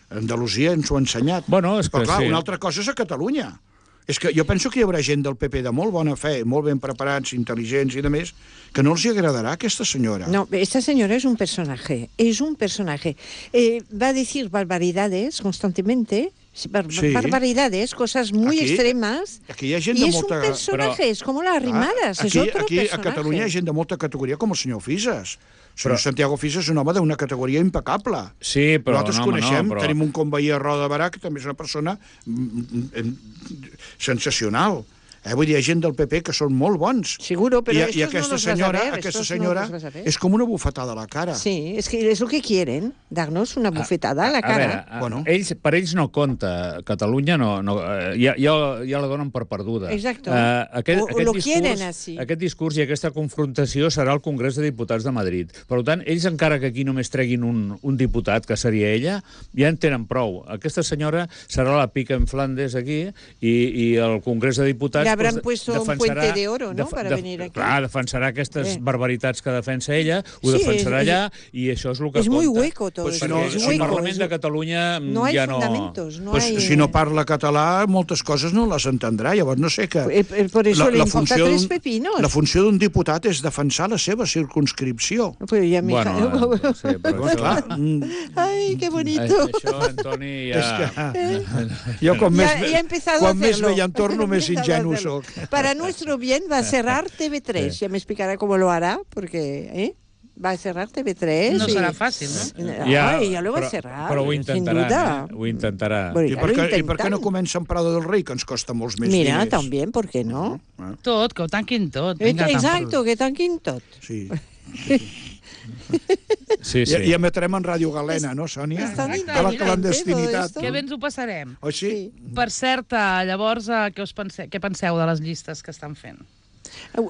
Andalusia ens ho ha ensenyat. Bueno, és que Però clar, sí. una altra cosa és a Catalunya. És que jo penso que hi haurà gent del P P de molt bona fe, molt ben preparats, intel·ligents i de més, que no els hi agradarà aquesta senyora. No, esta señora es un personaje, es un personaje. Eh, va a decir barbaridades constantemente, bar Sí. barbaridades, cosas muy Aquí- extremas, Aquí hi ha gent y de es un molta... personaje, Però- es como las rimadas, aquí, es otro aquí personaje. a Catalunya hi ha gent de molta categoria com el senyor Fisas. El senyor Santiago Fisas és un home d'una categoria impecable. Sí, però Nosaltres no, home, coneixem, no, però... tenim un conveí a Roda de Barà, que també és una persona mm, mm, sensacional. Eh? Vull dir, hi ha gent del P P que són molt bons. Seguro, pero I, estos i aquesta no los vas a senyora, ver, aquesta estos no senyora los vas a ver. és com una bufetada a la cara. Sí, es que es lo que quieren, darnos una bufetada a la A veure, cara. a- Bueno. ells, per ells no compta. Catalunya no, no, eh, ja, ja, ja la donen per perduda. Exacto. Eh, aquest, O- o aquest, lo discurs, quieren así. aquest discurs i aquesta confrontació serà al Congrés de Diputats de Madrid. Per tant, ells, encara que aquí només treguin un, un diputat, que seria ella, ja en tenen prou. Aquesta senyora serà la pica en Flandes aquí i, i el Congrés de Diputats... Le habrán doncs, puesto un defensarà- puente de oro, ¿no?, def- para def- venir aquí. Clar, defensarà aquestes Eh. barbaritats que defensa ella, ho Sí, defensarà es- allà, i això és el que es muy compta. hueco todo Pues eso, si no, es si el hueco. Parlament es- de Catalunya No hay ja no... fundamentos, no Pues, hay... si no parla català, moltes coses no les entendrà. Llavors, no sé que... Eh, eh, por eso le importa funció tres d'un- pepinos. La funció d'un diputat és defensar la seva circunscripció. Pues ya mi hija- Bueno, eh, sí, però Llavors, això... clar, mm, Ay, qué Eh, bonito. Això, Antoni, és ja... que... Jo, quan Ya, més, ya he empezado quan a més hacerlo. vell en torno, més He empezado a ingenu hacerlo. soc. Para nuestro bien va a cerrar T V tres. Ya me explicará cómo lo hará, porque ¿eh? va a cerrar T V tres. No y- serà fàcil, no? Ay, ya lo va però, a cerrar, però ho sin intentaran, duda. eh? Ho intentarà. Bueno, I ya per, lo què, I per intentan. què no comença en Prado del Rei, que ens costa molts més Mira, diners? también, ¿por qué no? Tot, que ho tanquin tot. Eh, Vinga, tant Exacto, que tan quintot. Sí. Sí, sí. I, I emetrem en Ràdio Galena, no, Sònia? És tan A la intel·ligent, clandestinitat. todo Que bé ens ho passarem. Oh, sí? Sí. Per cert, eh, llavors, eh, què, us pense, què penseu de les llistes que estan fent?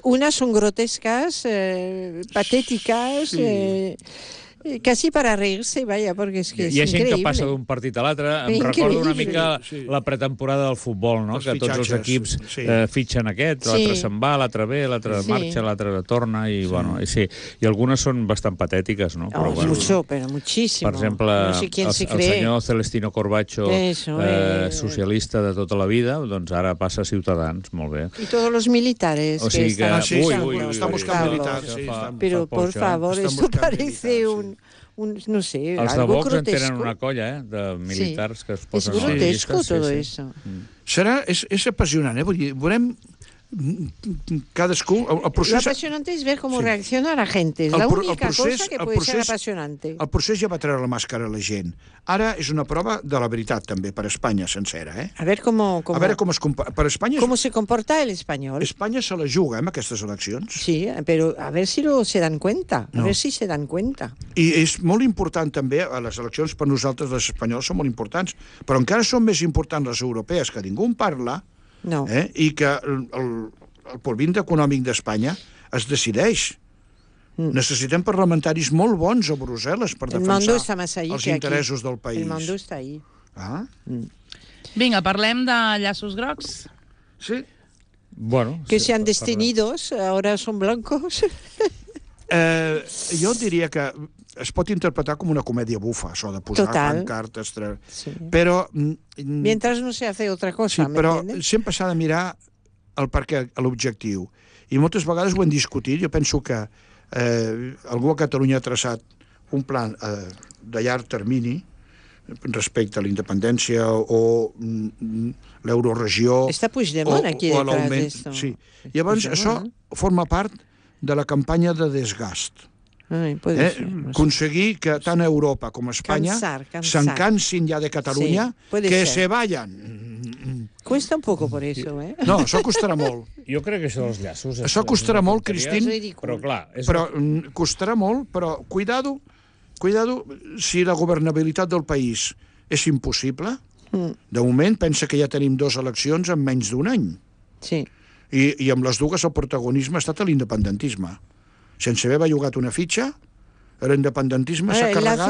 Unas son grotescas, eh, patéticas, Sí. eh, eh, casi para reírse, vaya, porque es que Hi ha es gent increíble. que passa d'un partit a l'altre. Em Increïble. recordo una mica Sí, sí. la pretemporada del futbol, no? Els Que tots els fitxatges, equips sí. eh, fitxen aquest, l'altre Sí. se'n va, l'altre ve, l'altre Sí. marxa, l'altre torna, i, bueno, i sí. I algunes són bastant patètiques, no? Oh, bueno, mucho, pero muchísimo. per exemple, no sé quién el, se el cree. senyor Celestino Corbacho, Eso, eh, eh. socialista de tota la vida, doncs ara passa a Ciutadans, molt bé. Y todos los militares O sigui que que... están Ah, sí, ui, sí, ui, ui, està ui, buscant ui, militars, això sí, fa- està- Pero, fa por poix, eh? favor, Están esto buscando parece militares, un, un, no sé, Els de algo Vox en grotesco. tenen una colla, eh, de militars que es Es posen... a les grotesco llistes, sí, todo sí. eso. Serà, és, és apassionant, eh? Vull dir, veurem cadascú... El, el Lo procés, apasionante es ver cómo Sí. reacciona la gente. Es El la pro- el única procés- cosa que el puede ser procés- apasionante. el procés ja va treure la màscara a la gent. Ara és una prova de la veritat, també, per Espanya sencera, eh? A ver cómo, cómo, A veure com es compa... Per Espanya, cómo se comporta el español. Espanya se la juga, eh, amb aquestes eleccions. Sí, pero a ver si lo se dan cuenta. A No. ver si se dan cuenta. I és molt important també, a les eleccions per nosaltres, les espanyols, són molt importants, però encara són més importants les europees, que ningú en parla, No. eh? I que el, el, el porvint econòmic d'Espanya es decideix. Mm. Necessitem parlamentaris molt bons a Brussel·les per El mando defensar está más ahí els que aquí. interessos del país. El mando está ahí. Ah, Vinga, parlem de llaços grocs. sí. Bueno, Que sí, sean per- destinidos, ahora son blancos. Eh, jo diria que es pot interpretar com una comèdia bufa, això de posar Total. pancartes... Tre... Sí. Però... mm, Mientras no se hace otra Sí, cosa, ¿me però entiendes? sempre s'ha de mirar el perquè, l'objectiu. I moltes vegades ho hem discutit. Jo penso que eh, algú a Catalunya ha traçat un plan eh, de llarg termini respecte a la independència o mm, l'euroregió... Está Puigdemont aquí o a detrás de l'augment- esto. Sí. Llavors, Puigdemont, això forma part de la campanya de desgast. Ay, puede Eh? ser, no sé. Aconseguir que tant Europa com Espanya Cansar, cansar. se'n cansin ja de Catalunya, Sí, puede que ser. se vayan. Cuesta un poco por eso, ¿eh? No, això costarà molt. Jo crec que això dels llaços... és- Això costarà és una molt, tonteria, Cristín. És ridícul. Però clar, és... Però mm, costarà molt, però cuidado, cuidado si la governabilitat del país és impossible. Mm. De moment pensa que ja tenim dues eleccions en menys d'un any. Sí. I, I amb les dues el protagonisme ha estat a l'independentisme. Sense haver bellugat una fitxa, L'independentisme s'ha carregat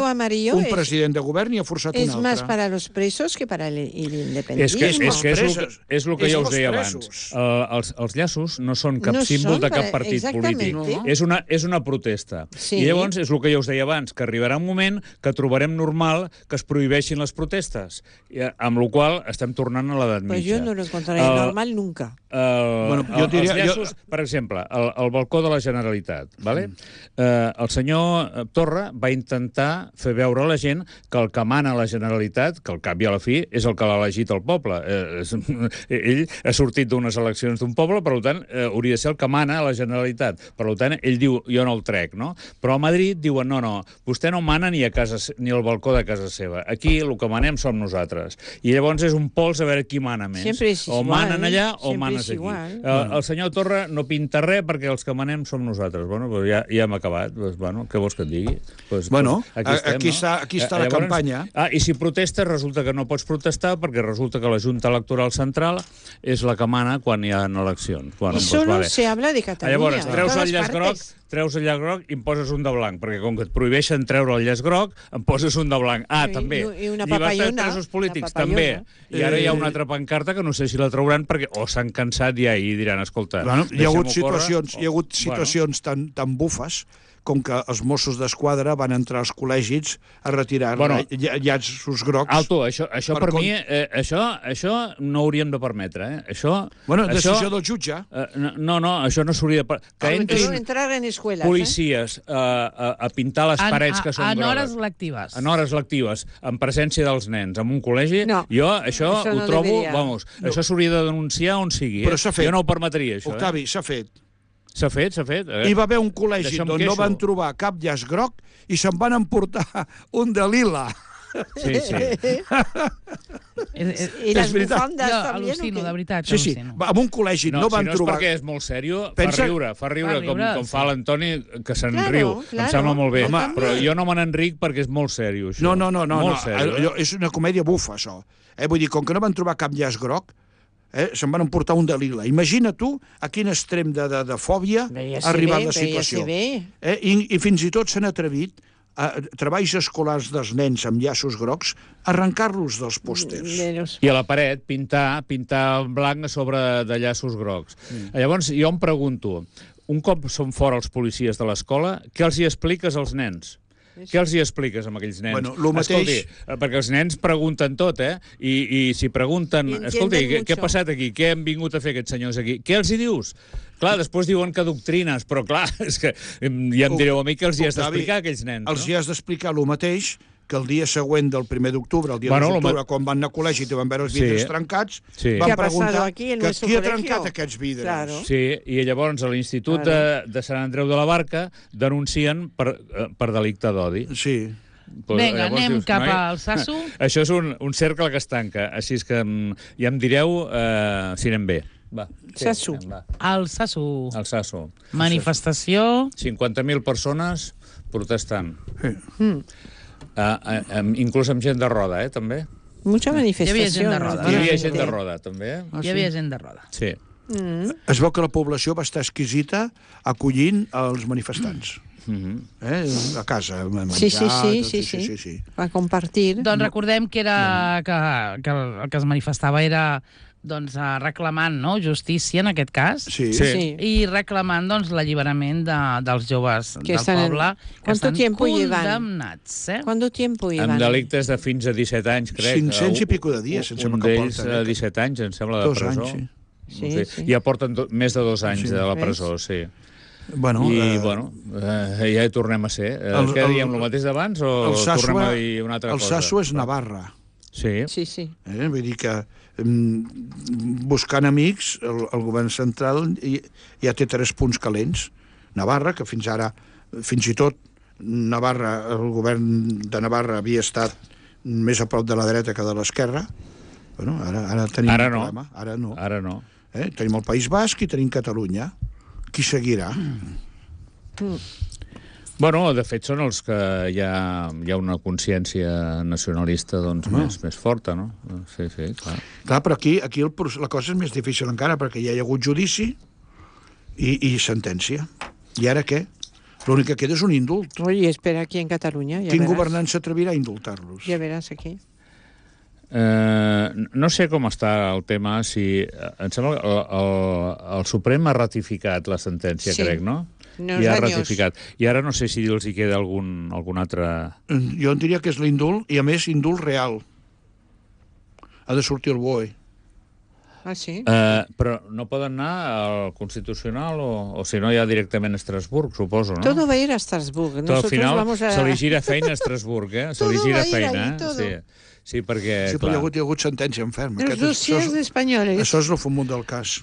un president de govern i ha forçat un altre. És més per a los presos que per a l'independentisme. És que és, que és, el, que, és el que ja us deia abans. Uh, els, els llaços no són cap no símbol de cap partit polític. No. És, una, és una protesta. Sí. I llavors és el que ja us deia abans, que arribarà un moment que trobarem normal que es prohibeixin les protestes, i, amb la qual estem tornant a l'edat mitja. Pues jo no lo encontraré uh, normal nunca. Uh, bueno, jo diria, els llaços, jo... per exemple, el, el balcó de la Generalitat, vale? Mm. Uh, el senyor Torra va intentar fer veure a la gent que el que mana a la Generalitat, que al cap i a la fi és el que l'ha elegit el poble. Eh, és, ell ha sortit d'unes eleccions d'un poble, per tant, eh, hauria de ser el que mana a la Generalitat. Per tant, ell diu, jo no el trec, no? Però a Madrid diuen, no, no, vostè no mana ni a casa, ni al balcó de casa seva. Aquí el que manem som nosaltres. I llavors és un pols a veure qui mana més. O manen allà o manes aquí. El, el senyor Torra no pinta res perquè els que manem som nosaltres. Bueno, pues ja, ja hem acabat. Pues, bueno, què vols que et digui? Pues, bueno, pues aquí, estem, aquí, no? està, aquí està la Llavors, campanya. Ah, i si protestes, resulta que no pots protestar perquè resulta que la Junta Electoral Central és la que mana quan hi ha eleccions. Bueno, I solo pues, vale. se habla de Catalunya. Llavors, treus el llaç groc, treus el llaç groc i em poses un de blanc, perquè com que et prohibeixen treure el llaç groc, em poses un de blanc. Ah, I, també. I una llibertat de presos polítics, també. I ara hi ha una altra pancarta que no sé si la trauran perquè o s'han cansat ja i diran, escolta... Bueno, hi ha hagut situacions, hi ha hagut situacions bueno. tan, tan bufes com que els Mossos d'Esquadra van entrar als col·legis a retirar bueno, llaços grocs. Alto, això, això per, per mi, eh, això, això no hauríem de permetre. Eh? Això, bueno, decisió això, del jutge. Eh, no, no, no, això no s'hauria de... Que entrin en escuelas, policies eh? a, a pintar les parets en, que són en grogues. En hores lectives. En hores lectives, en presència dels nens, en un col·legi. No, jo això, això ho no trobo... Deberia. Vamos, no. Això s'hauria de denunciar on sigui. Eh? Però s'ha fet. Jo no ho permetria, això. Octavi, eh? s'ha fet. S'ha fet, s'ha fet. Eh? Hi va haver un col·legi on no van trobar cap llaç groc i se'n van emportar un de lila. Sí, sí. I les bufandes jo també. Al·lucino, de veritat. Sí, sí. En un col·legi no, no van si no trobar... és perquè és molt sèrio, Pensa... fa riure, fa riure, fa riure com, com sí. fa l'Antoni, que se'n claro, riu. Claro. Em sembla molt bé. Home, però jo no me n'enric perquè és molt sèrio, això. No, no, no. no, molt no. Sèrio, Allò, és una comèdia bufa, això. Eh? Vull dir, com que no van trobar cap llaç groc, eh, se'n van emportar un de lila. Imagina tu a quin extrem de, de, de fòbia ha arribat la situació. Eh? I, I fins i tot s'han atrevit a treballs escolars dels nens amb llaços grocs, arrencar-los dels pòsters. I a la paret pintar, pintar en blanc a sobre de llaços grocs. Mm. Llavors, jo em pregunto, un cop són fora els policies de l'escola, què els hi expliques als nens? Què els hi expliques amb aquells nens? Bueno, lo mateix... Escolti, perquè els nens pregunten tot, eh? I, i si pregunten... Escolti, què, què ha passat aquí? Què han vingut a fer aquests senyors aquí? Què els hi dius? Clar, després diuen que doctrines, però clar, és que ja em direu a mi que els hi has d'explicar a aquells nens, els no? hi has d'explicar el mateix que el dia següent del primer d'octubre, el dia bueno, dos d'octubre, quan van anar a col·legi i van veure els vidres sí. trencats, sí. van preguntar aquí, que qui ha trencat aquests vidres. Claro. Sí, i llavors a l'Institut claro. de, de Sant Andreu de la Barca denuncien per, per delicte d'odi. Sí. Pues, Vinga, anem dius, cap al Sasso. Això és un, un cercle que es tanca, així és que ja em direu eh, si anem bé. Va. Sí, Sasso. Anem, va. El Sasso. El Sasso. Manifestació. cinquanta mil persones protestant. Sí. Mm. Uh, uh, um, inclús amb gent de roda, eh, també. Mucha manifestació. Hi havia gent de roda. Hi havia gent de roda, també. Ah, Hi havia sí? gent de roda. Sí. Mm. Es veu que la població va estar exquisita acollint els manifestants. Mm-hmm. eh? A casa, menjar, sí, sí, sí, tot, sí, sí, sí, sí. Va compartir. Doncs recordem que, era, que, que el que es manifestava era doncs, reclamant no? justícia, en aquest cas, sí. Sí. Sí. i reclamant doncs, l'alliberament de, dels joves que del poble en... que estan condemnats. Eh? ¿Cuánto tiempo llevan? Amb delictes de fins a disset anys, crec. cinc-cents i pico de dies, em sembla que porten. Un d'ells disset anys, em sembla, de presó. Dos anys, sí. Sí, sí. Ja porten do, més de dos anys sí. de la presó, sí. Bueno, I, eh, bueno, eh, ja hi tornem a ser. El, Què diem, el mateix d'abans o tornem a dir una altra el cosa? El Sasso és Navarra. Sí. Sí, sí. Eh? Vull dir que buscant amics, el, el govern central ja té tres punts calents. Navarra, que fins ara, fins i tot Navarra, el govern de Navarra havia estat més a prop de la dreta que de l'esquerra. Bueno, ara, ara tenim ara un no. problema. Ara no. Ara no. Eh? Tenim el País Basc i tenim Catalunya. Qui seguirà? Mm. Bueno, de fet, són els que hi ha, hi ha una consciència nacionalista doncs, no. més, més forta, no? Sí, sí, clar. Clar, però aquí, aquí el, la cosa és més difícil encara, perquè ja hi ha hagut judici i, i sentència. I ara què? L'únic que queda és un indult. Oye, espera aquí en Catalunya. Ja Quin veràs. governant s'atrevirà a indultar-los? Ja veràs aquí. Eh, no sé com està el tema, si... Em sembla que el, el, el Suprem ha ratificat la sentència, Sí. crec, no? Unos I ha años. ratificat. I ara no sé si els hi queda algun, algun altre... Jo en diria que és l'indult, i a més indult real. Ha de sortir el B O E. Ah, sí? Eh, però no poden anar al Constitucional o, o si no ja directament a Estrasburg, suposo, no? Todo va a ir a Estrasburg. Tot al Nosotros final vamos a... se li gira feina a Estrasburg, eh? Se li Todo gira va a ir feina, ahí, eh? todo. Sí, sí, perquè, Sí, però hi clar... ha hagut, hi ha hagut sentència en ferm. Els Aquest és- dossiers això, és, espanyoles. això és el fumut del cas.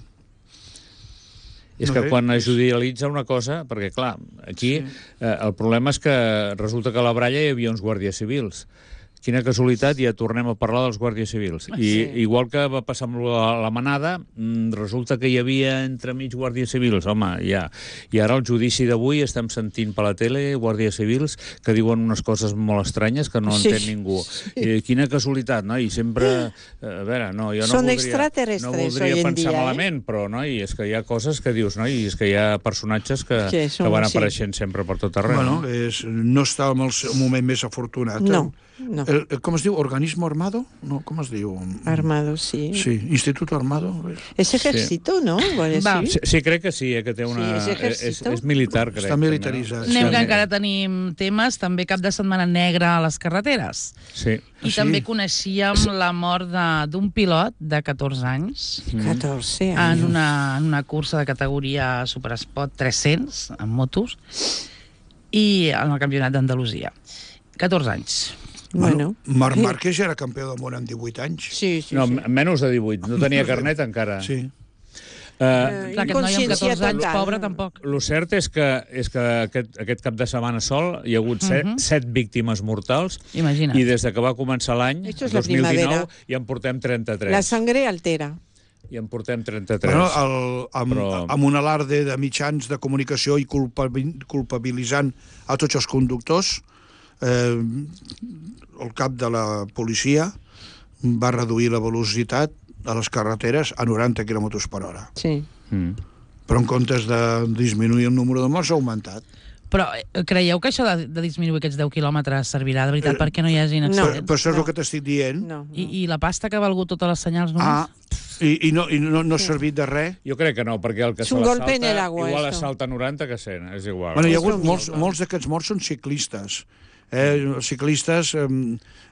És No que sé, quan és- es judicialitza una cosa... Perquè, clar, aquí Sí. eh, el problema és que resulta que a la Bralla hi havia uns guàrdies civils. Quina casualitat, ja tornem a parlar dels guàrdies civils. I Sí. igual que va passar amb la, la manada, mm, resulta que hi havia entremig guàrdies civils. Home, ja. I ara al judici d'avui estem sentint per la tele guàrdies civils que diuen unes coses molt estranyes que no Sí. entén ningú. I quina casualitat, no? I sempre... eh, A veure, no, jo no Són voldria, extraterrestres no voldria hoy en pensar dia, eh? malament, però, no? I és que hi ha coses que dius, no? I és que hi ha personatges que, Que que, són van així. apareixent sempre per tot arreu. Bueno, no? és, no està en el seu moment més afortunat. No, no. El, el, com es diu? Organismo Armado? No, com es diu? Armado, sí. Sí, Instituto Armado. Es ejército, ¿no? Igual Va. sí. Sí, sí, crec que sí, eh, que té una... Sí, és és, ejército. és militar, crec. Està militaritzat. Anem, que Sí. encara tenim temes. També cap de setmana negra a les carreteres. Sí. I sí? també coneixíem la mort de- d'un pilot de catorze anys catorze en años. una, en una cursa de categoria Supersport tres-cents, en motos, i en el campionat d'Andalusia. catorze anys. Bueno. Marc Márquez ja era campió del món amb divuit anys. Sí, sí, No, sí. menys de divuit. No tenia carnet encara. Sí. Uh, Eh, Clar, aquest noi amb inconsciència catorze anys, total. pobre, tampoc. Lo cert és que, és que aquest, aquest cap de setmana sol hi ha hagut set, Mhm. set víctimes mortals Imagina't. i des de que va començar l'any, Esto es la dos mil dinou, primavera. ja en portem trenta-tres. La sangre altera. I en portem trenta-tres. Bueno, el, amb, Però- amb un alarde de mitjans de comunicació i culpabil, culpabilitzant a tots els conductors, eh, el cap de la policia va reduir la velocitat a les carreteres a noranta quilòmetres per hora. Sí. Mm. Però en comptes de disminuir el número de morts, ha augmentat. Però eh, creieu que això de, de disminuir aquests deu quilòmetres servirà de veritat Eh, perquè no hi hagin no. Però, accidents? però això és no. el que t'estic dient. No, no. I, I la pasta que ha valgut totes les senyals només? Ah, i, i, no, i no, no ha servit de res. Jo crec que no, perquè el que És se un la golpe en el salta, agua, igual esto. salta noranta que cent, és igual. Bueno, hi ha És hagut lo molts, mismo. molts d'aquests morts són ciclistes. Eh, els ciclistes eh,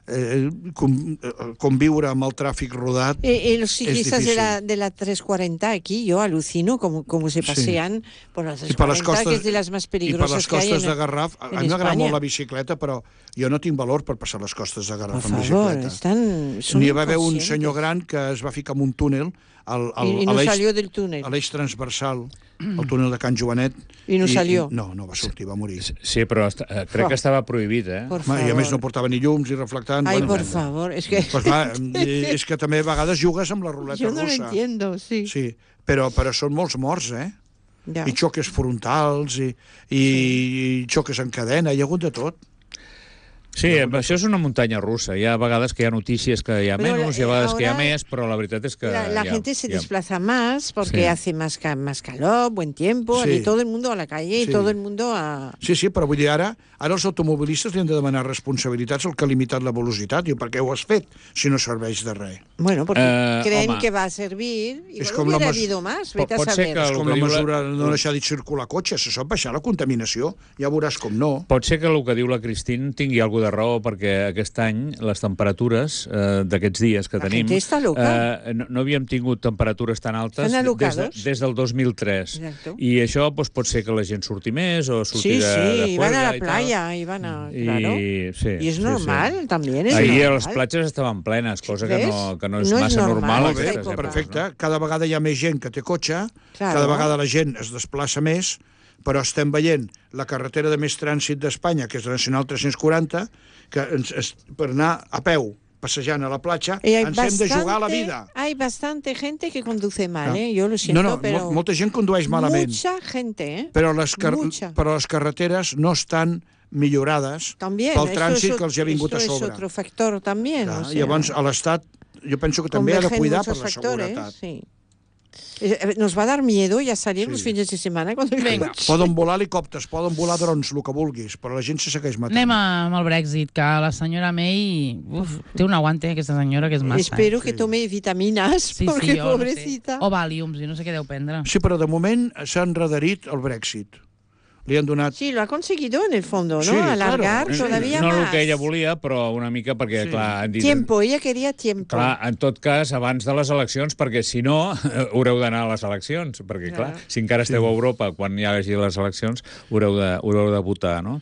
eh, com, eh, conviure amb el tràfic rodat Eh, eh, los ciclistas de difícil. la, de la trescientos cuarenta aquí, yo alucino cómo, cómo se pasean por la i per les trescientos cuarenta, costes, que es de las más i per les peligrosas que hay costes en, de Garraf. A en mi m'agrada España. molt la bicicleta, però jo no tinc valor per passar les costes de Por Garraf amb favor, bicicleta. están, son N'hi va haver un inconscientes. senyor gran que es va ficar en un túnel al, al, Y, y a no l'eix salió del túnel. a l'eix transversal, el túnel de Can Joanet. I no salió. No, no va sortir, va morir. Sí, però est eh, crec Oh. que estava prohibit, eh? Por Home, favor. I a més no portava ni llums ni reflectants. Ay, bueno, por favor, es que Pues clar, eh, és que també a vegades jugues amb la ruleta yo no lo russa. entiendo, sí. Sí, però, però són molts morts, eh? Ya. I xoques frontals, i, i, i xoques en cadena, hi ha hagut de tot. Sí, això és una muntanya russa. Hi ha vegades que hi ha notícies que hi ha Però menys, la- hi ha vegades que hi ha ahora més, però la veritat és que... La, la hi ha, gente se hi ha... desplaza más porque Sí. hace más, ca- más calor, buen tiempo, Sí. y todo el mundo a la calle y Sí. todo el mundo a... Sí, sí, però vull dir, ara, ara els automobilistes li han de demanar responsabilitats al que ha limitat la velocitat. Diu, per què ho has fet si no serveix de res? Bueno, porque Eh, creen home. que va a servir y És bueno, com la hubiera mes- habido más, Pot- vete a pot ser saber. que És el com que la diu la- mesura de no deixar de circular cotxes, se sap baixar la contaminació, ja veuràs com no. Pot ser que el que diu la Cristín tingui alguna de raó, perquè aquest any les temperatures eh, d'aquests dies que La tenim... gente está loca. Eh, no, no havíem tingut temperatures tan altes Estan des, de, alocados. des del dos mil tres. Exacto. I això doncs, pot ser que la gent surti més o surti Sí, de, de sí, iban a juerga la i tal. playa, iban a... I, Claro. sí, Y es sí, normal, sí. también es Ahir normal. les platges estaven plenes, cosa que ¿Ves? no, que no és No és massa normal, normal. Molt bé, aquesta aquestes època. èpoques, perfecte. Cada vegada hi ha més gent que té cotxe, Claro. cada vegada la gent es desplaça més, però estem veient la carretera de més trànsit d'Espanya, que és la Nacional tres-cents quaranta, que ens, es, per anar a peu passejant a la platja, Y hay ens hem de jugar la bastante- vida. Hay bastante gente que conduce mal, Ah. ¿eh? Yo lo siento, No, no, pero... mol- molta gent condueix malament, Mucha gente, ¿eh? però les, car Mucha. però les carreteres no estan millorades También. pel esto trànsit es, que els ha vingut a esto sobre. es otro factor también. Clar, o sea, Llavors, a l'Estat, jo penso que també ha de convergen cuidar per muchos la factores, seguretat. sí. Eh, Nos va dar miedo, ya salir los fines de semana con el Vinga. coche. Poden volar helicòpters, poden volar drons, el que vulguis, però la gent se segueix matant. Anem amb el Brexit, que la senyora May... Uf, té un aguante, aquesta senyora, que és massa. Espero eh? que tome vitaminas, Sí, porque sí, jo pobrecita. No sé. O Valiums, jo no sé què deu prendre. Sí, però de moment s'ha enrederit el Brexit. Li han donat... Sí, lo ha conseguido en el fondo, ¿no? Sí, Alargar claro. todavía no más. el que ella volia, però una mica perquè, Sí. clar, han dit... Tiempo, ella quería tiempo. Clar, en tot cas, abans de les eleccions, perquè si no, haureu d'anar a les eleccions, perquè, clar, Clar. si encara esteu a Europa, quan hi hagi les eleccions, haureu de, haureu de votar, no?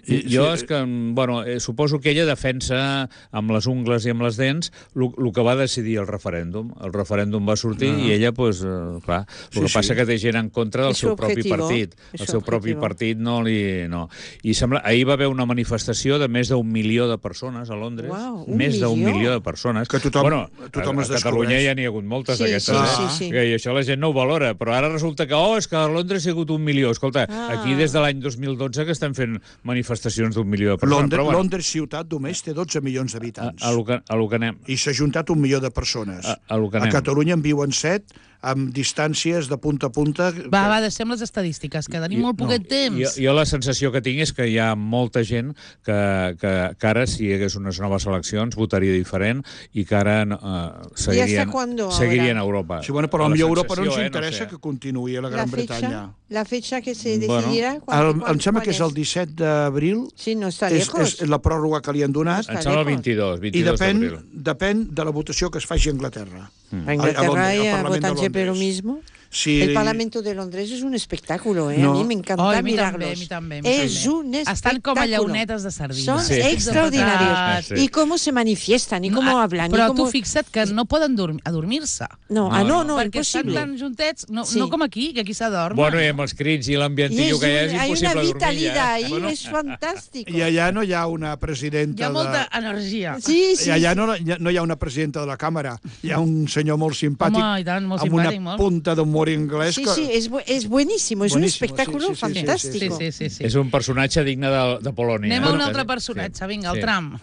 I, I- jo sí. és que, bueno, eh, suposo que ella defensa amb les ungles i amb les dents el que va decidir el referèndum. El referèndum va sortir i ella, pues, eh, clar, el Sí, que sí. passa que té gent en contra del És su seu propi objetivo, partit. és El su seu propi objetivo. partit no li... No. I sembla, ahir va haver una manifestació de més d'un milió de persones a Londres. Uau, un més d'un milió? milió de persones. Que tothom- bueno, tothom a, es a Catalunya descobreix. ja n'hi ha hagut moltes Sí, d'aquestes, sí, eh? sí, sí. Que, I això la gent no ho valora, però ara resulta que, oh, és que a Londres hi ha hagut un milió. Escolta, Ah. aquí des de l'any dos mil dotze que estem fent manifestacions d'un milió de persones. Londres, però, bueno, Londres ciutat només té dotze milions a, d'habitants. a, lo que, a lo que anem. I s'ha juntat un milió de persones. A- a lo que a anem. Catalunya en viuen set, amb distàncies de punta a punta... Va, va, deixem les estadístiques, que tenim molt poquet temps. Jo, jo la sensació que tinc és que hi ha molta gent que, que, que ara, si hi hagués unes noves eleccions, votaria diferent i que ara uh, seguirien, cuándo seguirien a ahora? Europa. Sí, bueno, però La potser a Europa no ens sensació, eh, interessa sé. que continuï a la La Gran fecha, Bretanya. la fecha que se Bueno, decidirá... El, ¿cuándo- em sembla cuál que és el disset d'abril. Sí, no está És, lejos. és la pròrroga que li han donat. Em sembla el vint-i-dos, I vint-i-dos depèn, d'abril. depèn de la votació que es faci a Anglaterra. A Inglaterra Al- al y a Parlament de votar siempre lo Londres. mismo. Sí. El Parlamento de Londres es un espectáculo, ¿eh? No. A mí me encanta Oh, a mi mirarlos. també, a mi també, a mi es també. un espectáculo. Estan com a llaunetes de sardina. Son Sí. extraordinarios. Sí. Y cómo se manifiestan, y cómo Ah, hablan. Però y cómo... tu fixa't que no poden dormir, adormir-se. No, ah, no, no, perquè estan imposible. tan juntets, no, Sí. no com aquí, que aquí s'adorm. Bueno, i amb els crits i Y l'ambientillo es que hi ha, un- és hay una impossible dormir vitalidad ja. ahí, Bueno, es fantástico. I allà no hi ha una Hi presidenta ha molta de... energia. Sí, sí. I allà no, no hi ha una presidenta de la càmera, hi ha un senyor molt simpàtic, Home, i tant, molt amb una simpàtic, molt. punta d'humor anglès. Sí, que... sí, es, bu- es buenísimo, es un Buenísimo, espectáculo sí, sí, sí, sí, sí, fantástico. Sí, sí, sí. sí. És un personatge digne de, de Polònia. Anem a un eh? altre Sí. personatge, vinga, el Sí. Trump.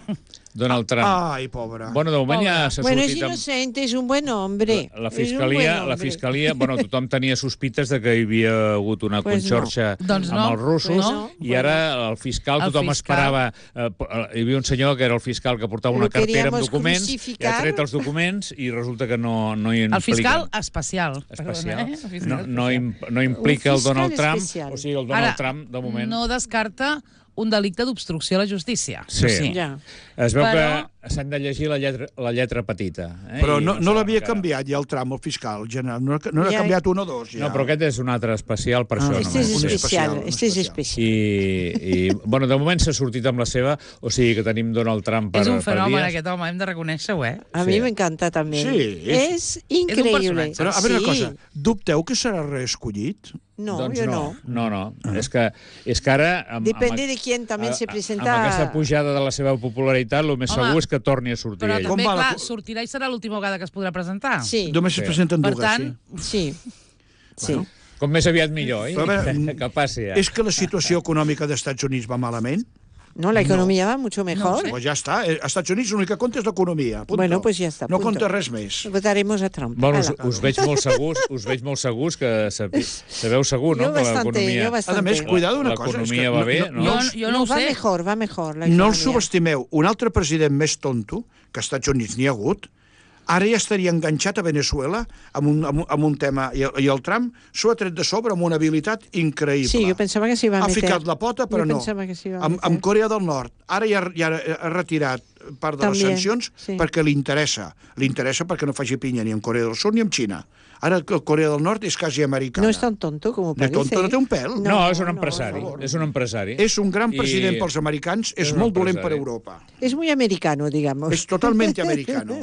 Donald Trump. Ai, pobre. Bueno, de moment ja Pobre. s'ha Bueno, es sortit amb... inocente, es un buen hombre. La es un fiscalia, buen la hombre. fiscalia, bueno, tothom tenia sospites de que hi havia hagut una Pues conxorxa no. Doncs no. amb els russos, Pues no. i ara el fiscal, El tothom fiscal. esperava... Eh, hi havia un senyor que era el fiscal que portava Lo una cartera amb queríamos documents, i ha crucificar. tret els documents i resulta que no, no hi impliquen. El fiscal especial. Especial. Perdona, eh? El fiscal No, no, especial. im, no implica Un el Donald fiscal Trump, especial. o sigui, el Donald Ara, Trump, de moment... no descarta un delicte d'obstrucció a la justícia. Sí. Això sí. Ja. Es veu Però- que s'han de llegir la lletra, la lletra petita. Eh? Però I no, no saben l'havia encara. canviat ja el tram, el fiscal general. No, no n'ha Ja- canviat un o dos, ja. No, però aquest és un altre especial per Ah, això. Este es només. Un especial, especial, un este es especial. especial. I, i bueno, de moment s'ha sortit amb la seva, o sigui que tenim Donald Trump per, És un per fenomen, dies. aquest home, hem de reconèixer-ho, eh? A Sí. mí me encanta también. Sí, es increíble. personatge. Però, a veure Sí. una cosa, dubteu que serà reescollit? No, doncs yo no. no. No, no. És que, és que ara... Amb, Depende amb, de quién también se presenta. Amb aquesta pujada de la seva popularitat, el més Home, segur és que torni a sortir Però ell. també, Com va la clar, co- sortirà i serà l'última vegada que es podrà presentar. Sí, Només Sí. es presenten Per dues, tant, sí. Sí. Bueno. Com més aviat millor, eh? Però a veure, que passi ja. sí. És que la situació econòmica dels Estats Units va malament? No, la economía va mucho mejor. Pues ja està. Eh, Als Estats Units l'únic que compta és l'economia. Punto. Bueno, pues ja està, No punto. compta res més. Votaremos a Trump. Bueno, us, Ala. us veig molt segurs, us veig molt segurs que sabi, sabeu segur, no? Yo que bastante, l'economia... yo A bastante. més, cuidado una cosa. és que L'economia va bé, no? Jo, us- jo no ho va sé. mejor, va mejor la No el economía. subestimeu. Un altre president més tonto, que als Estats Units n'hi ha hagut, ara ja estaria enganxat a Venezuela amb un, amb un, amb un tema, i, i el Trump s'ho ha tret de sobre amb una habilitat increïble. Sí, yo pensaba que se iba a Ha meter. ficat la pota, però Yo no. pensaba que se iba a Amb, meter. amb Corea del Nord. Ara ja, ja ha retirat part de També, les sancions sí. perquè li interessa. Li interessa perquè no faci pinya ni en Corea del Sud ni en Xina. Ara que Corea del Nord és quasi americana. No es tan tonto como De parece. tonto no té un pèl. No, No, és un no, empresari. no. És un empresari. És un gran I- president pels americans, és, és un molt dolent per empresari. Europa. Es muy americano, digamos. És totalment americano.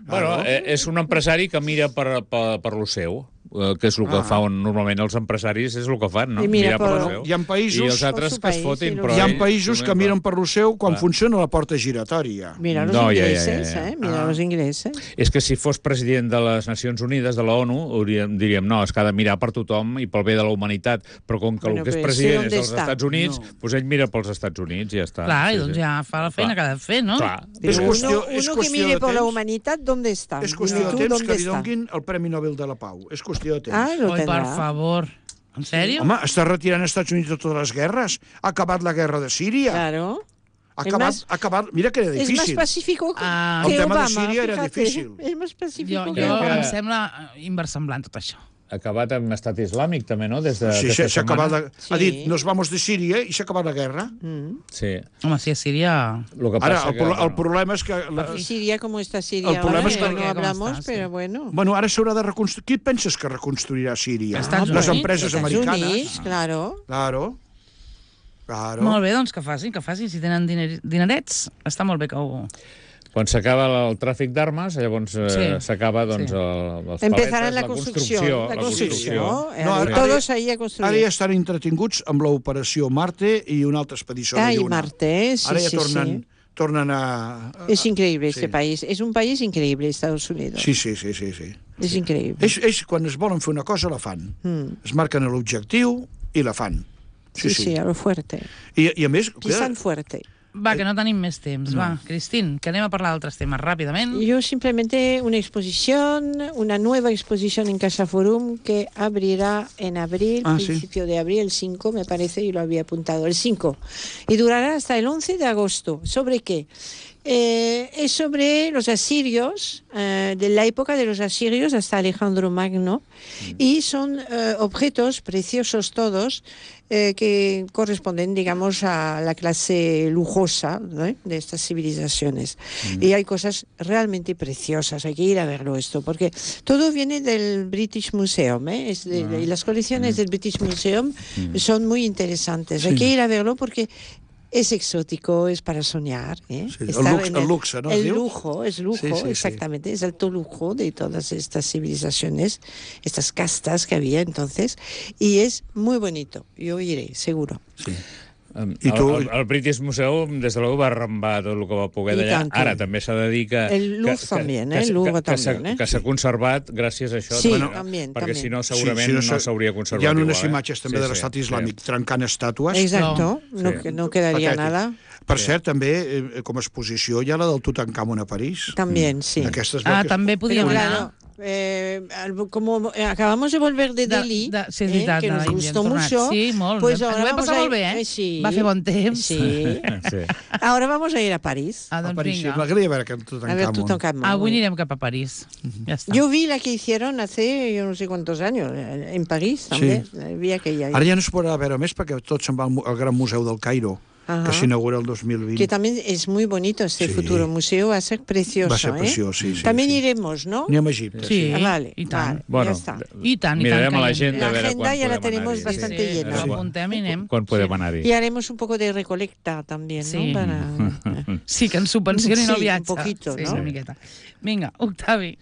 Bueno, eh, és un empresari que mira per, per, per lo seu, eh, que és el que Ah. fan normalment els empresaris, és el que fan, no? I mira Mirar per per- lo seu. Hi ha països- I els altres Per que es su fotin, país, però... Hi ha ells països que només miren per lo seu quan Clar. funciona la porta giratòria. Mira los No, ja, ja, ingleses, ja, ja. ¿eh? Mira Ah. los ingleses. És que si fos president de les Nacions Unides, de la ONU, hauríem, diríem, no, és que ha de mirar per tothom i pel bé de la humanitat, però com que Bueno, el que és però president sí, és dels ¿dónde Estats està? Units, No. doncs ell mira pels Estats Units i ja està. Clar, i Sí, doncs sí. ja fa la feina Clar. que ha de fer, no? Clar. Pero És uno, qüestió- uno és que qüestió mire de por la temps. humanidad, ¿dónde está? És qüestió Dime de tú, temps ¿dónde que li está? donguin el Premi Nobel de la Pau. És qüestió jubilació tens. Ah, lo Oi, per tendrà. favor. En sèrio? Home, està retirant als Estats Units de totes les guerres. Ha acabat la guerra de Síria. Claro. Ha Es acabat, más- ha acabat... Mira que era Es más difícil. pacífico Ah, que el tema de Obama. Síria era fíjate. difícil. Es más pacífico Jo, que jo Obama. em sembla inversemblant tot això. Ha acabat amb estat islàmic, també, no? Des de, Sí, aquesta s'ha acabat la... setmana. Sí. Ha dit, nos vamos de Síria i s'ha acabat la guerra. Mm. Sí. Home, si a Síria... Lo que Ara, passa el, que, pro- el bueno, problema és que... La... Y Siria, como está Siria El problema ahora, es que- ya no ¿Cómo hablamos, está? Sí. pero bueno. Bueno, ara s'haurà de reconstruir... Qui penses que reconstruirà Síria? Estats Les Units. empreses Estados americanes. Unidos, claro. Claro. Claro. Molt bé, doncs que facin, que facin. Si tenen diner, dinerets, està molt bé que ho... quan s'acaba el tràfic d'armes, llavors eh, Sí. s'acaba doncs, Sí. el, els Empezará paletes, la construcción. La la construcción. construcció. Eh, No, ara- todos ahí a Ara ja construir. estan entretinguts amb l'operació Marte i una altra expedició Ay, de Lluna. Marte, sí, Ara ja sí, tornen, sí. tornen a... Es increíble Sí. este país. Es un país increíble, Estados Unidos. Sí, sí, sí, sí, sí. Es increíble. Ells, ells, quan es volen fer una cosa, la fan. Mm. Es marquen l'objectiu i la fan. Sí, sí, a lo fuerte. I, i a més... Pisan fuerte. Va, que no tenim més temps. Va, Cristín, que anem a parlar d'altres temes ràpidament. Yo simplemente una exposición, una nueva exposición en Casa Forum que abrirá en abril, Ah, sí. principio de abril, el cinco, me parece, y lo había apuntado, el cinco. Y durará hasta el once de agosto. ¿Sobre qué? Eh, es sobre los asirios, eh, de la época de los asirios hasta Alejandro Magno, y son eh, objetos preciosos todos, eh, que corresponden, digamos, a la clase lujosa, ¿no?, de estas civilizaciones. Y hay cosas realmente preciosas, hay que ir a verlo esto, porque todo viene del British Museum, ¿eh? Es de- de- y las colecciones del British Museum son muy interesantes. Hay Sí. que ir a verlo porque es exótico, es para soñar. ¿eh? Sí, el Estar lux- en el luxe, ¿no? El ¿Diu? lujo, es lujo, Sí, sí, sí. exactamente, es alto lujo de todas estas civilizaciones, estas castas que había entonces, y es muy bonito. Yo iré, seguro. Sí. Um, I tu- el, el, el British Museum, des de luego, va arrambar tot el que va poder I d'allà. tant que- Ara també s'ha de dir que... El Louvre que, també, eh? que, El Louvre que, que s'ha- també, eh? que s'ha conservat gràcies a això. Sí, també, també, perquè també. si no, segurament Sí, no s'ha- s'hauria conservat Hi ha igual. unes eh? imatges també Sí, de sí, l'estat sí. islàmic trencant estàtues. Exacto, no, Sí. que no quedaría Patètic. nada. Per cert, també, eh, com a exposició, hi ha la del Tutankamon a París. También, sí. Aquestes Ah, que- també Pero podíem claro, anar. eh, al- como eh, acabamos de volver de De- Delhi, de- sí, és eh, veritat, que de nos l'Índia, hem gustó tornat. mucho, Sí, molt. pues Ens ahora ho vam vamos passar a molt ir, bé, eh? sí. Va fer bon temps. Sí. Sí. Ahora vamos a ir a París. Ah, A doncs París, sí. vinga. M'agradaria veure aquest A ver Tutankamon. Tutankamon. Avui anirem cap a París. Ja està. Yo vi la que hicieron hace yo no sé cuántos años, eh, en París también. Eh, Vi aquella. Ara ja no es podrà veure més perquè tot se'n va al mu- al Gran Museu del Cairo, Ajá. que s'inaugura el dos mil vint. Que también es muy bonito este Sí. futuro museo, va a ser precioso. Va a ser ¿eh? precioso, sí, sí, También sí. iremos, ¿no? Anem a Egipte. Sí. Ah, vale, i tant. vale, Bueno, ya está. I tant, i mirarem tant. a que hi l'agenda La a veure agenda quan ya la podem tenemos anar-hi. bastante Sí, llena. Ens Quan- apuntem i anem. Quan podem Sí. anar-hi? Y haremos un poco de recolecta también, Sí. ¿no? Para... Sí, que ens subvencionin Sí, el viatge. un poquito, sí, no? una miqueta. Vinga, Octavi.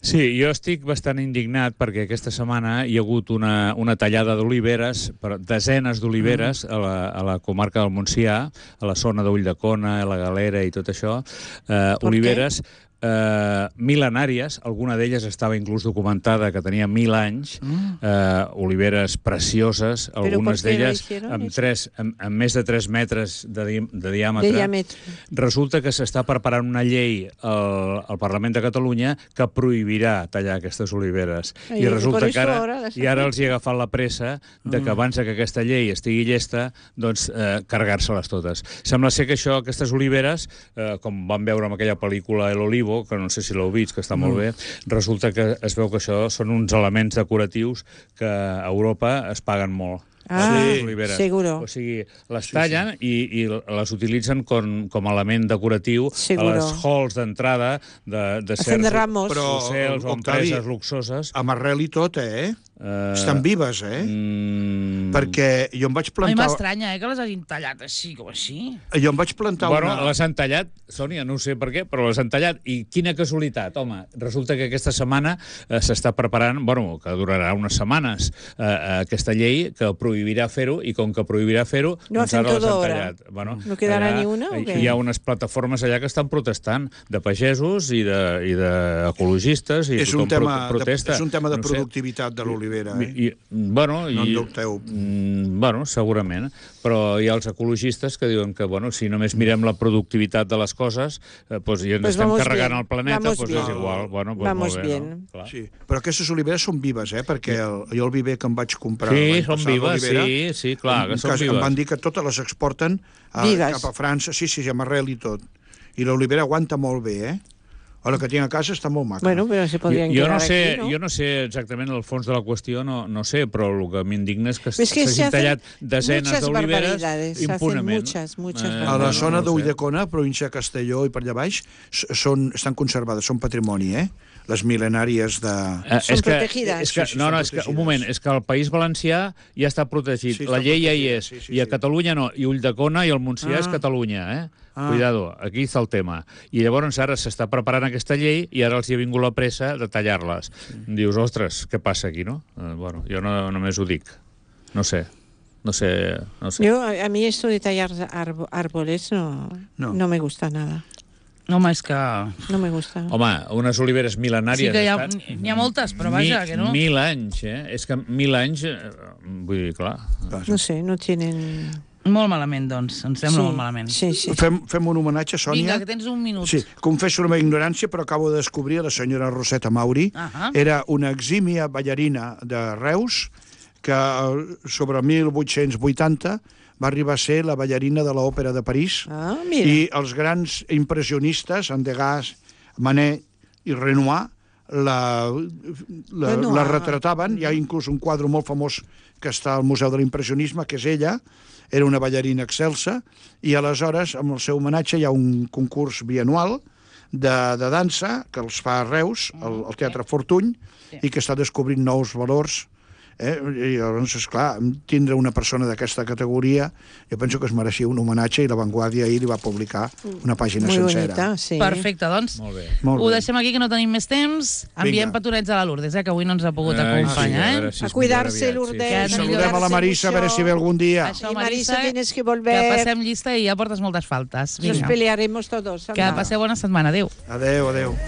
Sí, jo estic bastant indignat perquè aquesta setmana hi ha hagut una, una tallada d'oliveres, per desenes d'oliveres a, la, a la comarca del Montsià, a la zona d'Ulldecona, a la Galera i tot això. Eh, Per oliveres eh, mil·lenàries, alguna d'elles estava inclús documentada que tenia mil anys, eh, oliveres precioses, Però algunes per què lo d'elles hicieron amb, eso? tres, amb, amb més de tres metres de, di de diàmetre. De diámetro. Resulta que s'està preparant una llei al, al Parlament de Catalunya que prohibirà tallar aquestes oliveres. Ai, I por resulta eso que ara, ahora las i ara hacen. els hi ha agafat la pressa de que abans que aquesta llei estigui llesta, doncs eh, carregar-se-les totes. Sembla ser que això, aquestes oliveres, eh, com vam veure en aquella pel·lícula El Olivo, que no sé si l'heu vist, que està molt bé, resulta que es veu que això són uns elements decoratius que a Europa es paguen molt. Ah, les oliveres. seguro. O sigui, les tallen i, i les utilitzen com, com a element decoratiu Seguro. a les halls d'entrada de, de Hacen certs ramos. Però, hotels o Octavi, empreses luxoses. amb arrel i tot, eh? Eh, Estan vives, eh? Mm, Perquè jo em vaig A mi plantar... m'estranya, eh, que les hagin tallat així, com així. Jo em vaig plantar Bueno, una... les han tallat, Sònia, no ho sé per què, però les han tallat. I quina casualitat, home. Resulta que aquesta setmana eh, s'està preparant, bueno, que durarà unes setmanes, eh, aquesta llei que prohibirà prohibirà fer-ho, i com que prohibirà fer-ho, No doncs hacen ara les todo han ahora. tallat. Bueno, No quedarà allà ni una, o hi- què? Hi ha unes plataformes allà que estan protestant, de pagesos i de, i de ecologistes, i És un, tothom tema pro- de, protesta. és un tema de No sé. productivitat de l'olivera, eh? I, bueno, No en i, dubteu. mm, bueno, segurament, però hi ha els ecologistes que diuen que, bueno, si només mirem la productivitat de les coses, eh, pues, i ens Pues estem vamos carregant bien, el planeta, vamos pues bien. és igual. Bueno, pues Vamos molt bé, bien. no? Clar. Sí, però aquestes oliveres són vives, eh? Perquè el, jo el viver que em vaig comprar Sí, l'any són passat, vives, l'olivera, sí, sí, clar, que en són cas- vives. Em van dir que totes les exporten a, Vives. cap a França, sí, sí, amb arrel i tot. I l'olivera aguanta molt bé, eh? O la que tinc a casa està molt maca. Bueno, pero se podrían Jo, jo, quedar no sé, aquí, ¿no? jo no sé exactament el fons de la qüestió, no, no sé, però el que m'indigna és que Es que se s'hagin hacen tallat desenes muchas d'oliveres barbaridades, se hacen impunement. muchas, muchas A barbaridades. la bueno, zona no ho sé. d'Ulldecona, província de Castelló i per allà baix, s- són, estan conservades, són patrimoni, eh? Les mil·lenàries de... Eh, Són és que, protegides. És que, Sí, sí, no, són no, és que, un protegides. moment, és que el País Valencià ja està protegit. Sí, la està llei ja hi protegida, és. sí, sí, I a sí. Catalunya no. I Ulldecona i el Montsià Ah. és Catalunya, eh? Ah. Cuidado, aquí està el tema. I llavors ara s'està preparant aquesta llei i ara els hi ha vingut la pressa de tallar-les. Dius, ostres, què passa aquí, no? Eh, bueno, jo no, només ho dic. No sé. No sé, no sé. Yo, a a mí esto de tallar arbo- árboles no, No. no. me gusta nada. Home, és que... No me gusta. Home, unes oliveres mil·lenàries... Sí que hi ha, estan- n'hi ha moltes, però vaja, que no. Mil anys, eh? És que mil anys... eh, Vull dir, clar... No sé, no tienen... Molt malament, doncs. Em sembla sí, molt malament. Sí, sí. Fem, fem un homenatge, Sònia. Vinga, que tens un minut. Sí, confesso la meva ignorància, però acabo de descobrir la senyora Roseta Mauri. Ahà. Era una exímia ballarina de Reus que eh, sobre mil vuit-cents vuitanta va arribar a ser la ballarina de l'Òpera de París. Ah, mira. I els grans impressionistes, Degas, Manet i Renoir, la, la, Renoir. la retrataven. Hi ha inclús un quadre molt famós que està al Museu de l'Impressionisme, que és ella, era una ballarina excelsa, i aleshores, amb el seu homenatge, hi ha un concurs bianual de, de dansa que els fa a Reus, al, al Teatre Fortuny, i que està descobrint nous valors. Eh? I llavors, esclar, tindre una persona d'aquesta categoria, jo penso que es mereixia un homenatge, i La Vanguardia ahir li va publicar una pàgina Muy sencera. bonita, sí. Perfecte, doncs. Molt bé. Molt Ho bé. deixem aquí, que no tenim més temps. Enviem Vinga. petonets a la Lourdes, eh, que avui no ens ha pogut Ai, acompanyar. sí, a eh? veure si A és cuidarse, millor aviat, Lourdes. Que a saludem Saludem a la Marisa, a veure si ve algun dia. Això, Y Marisa, tienes que volver. que passem llista i ja portes moltes faltes. Nos Vinga. pelearemos todos. Que anda. passeu bona setmana. Adéu. Adéu, adéu.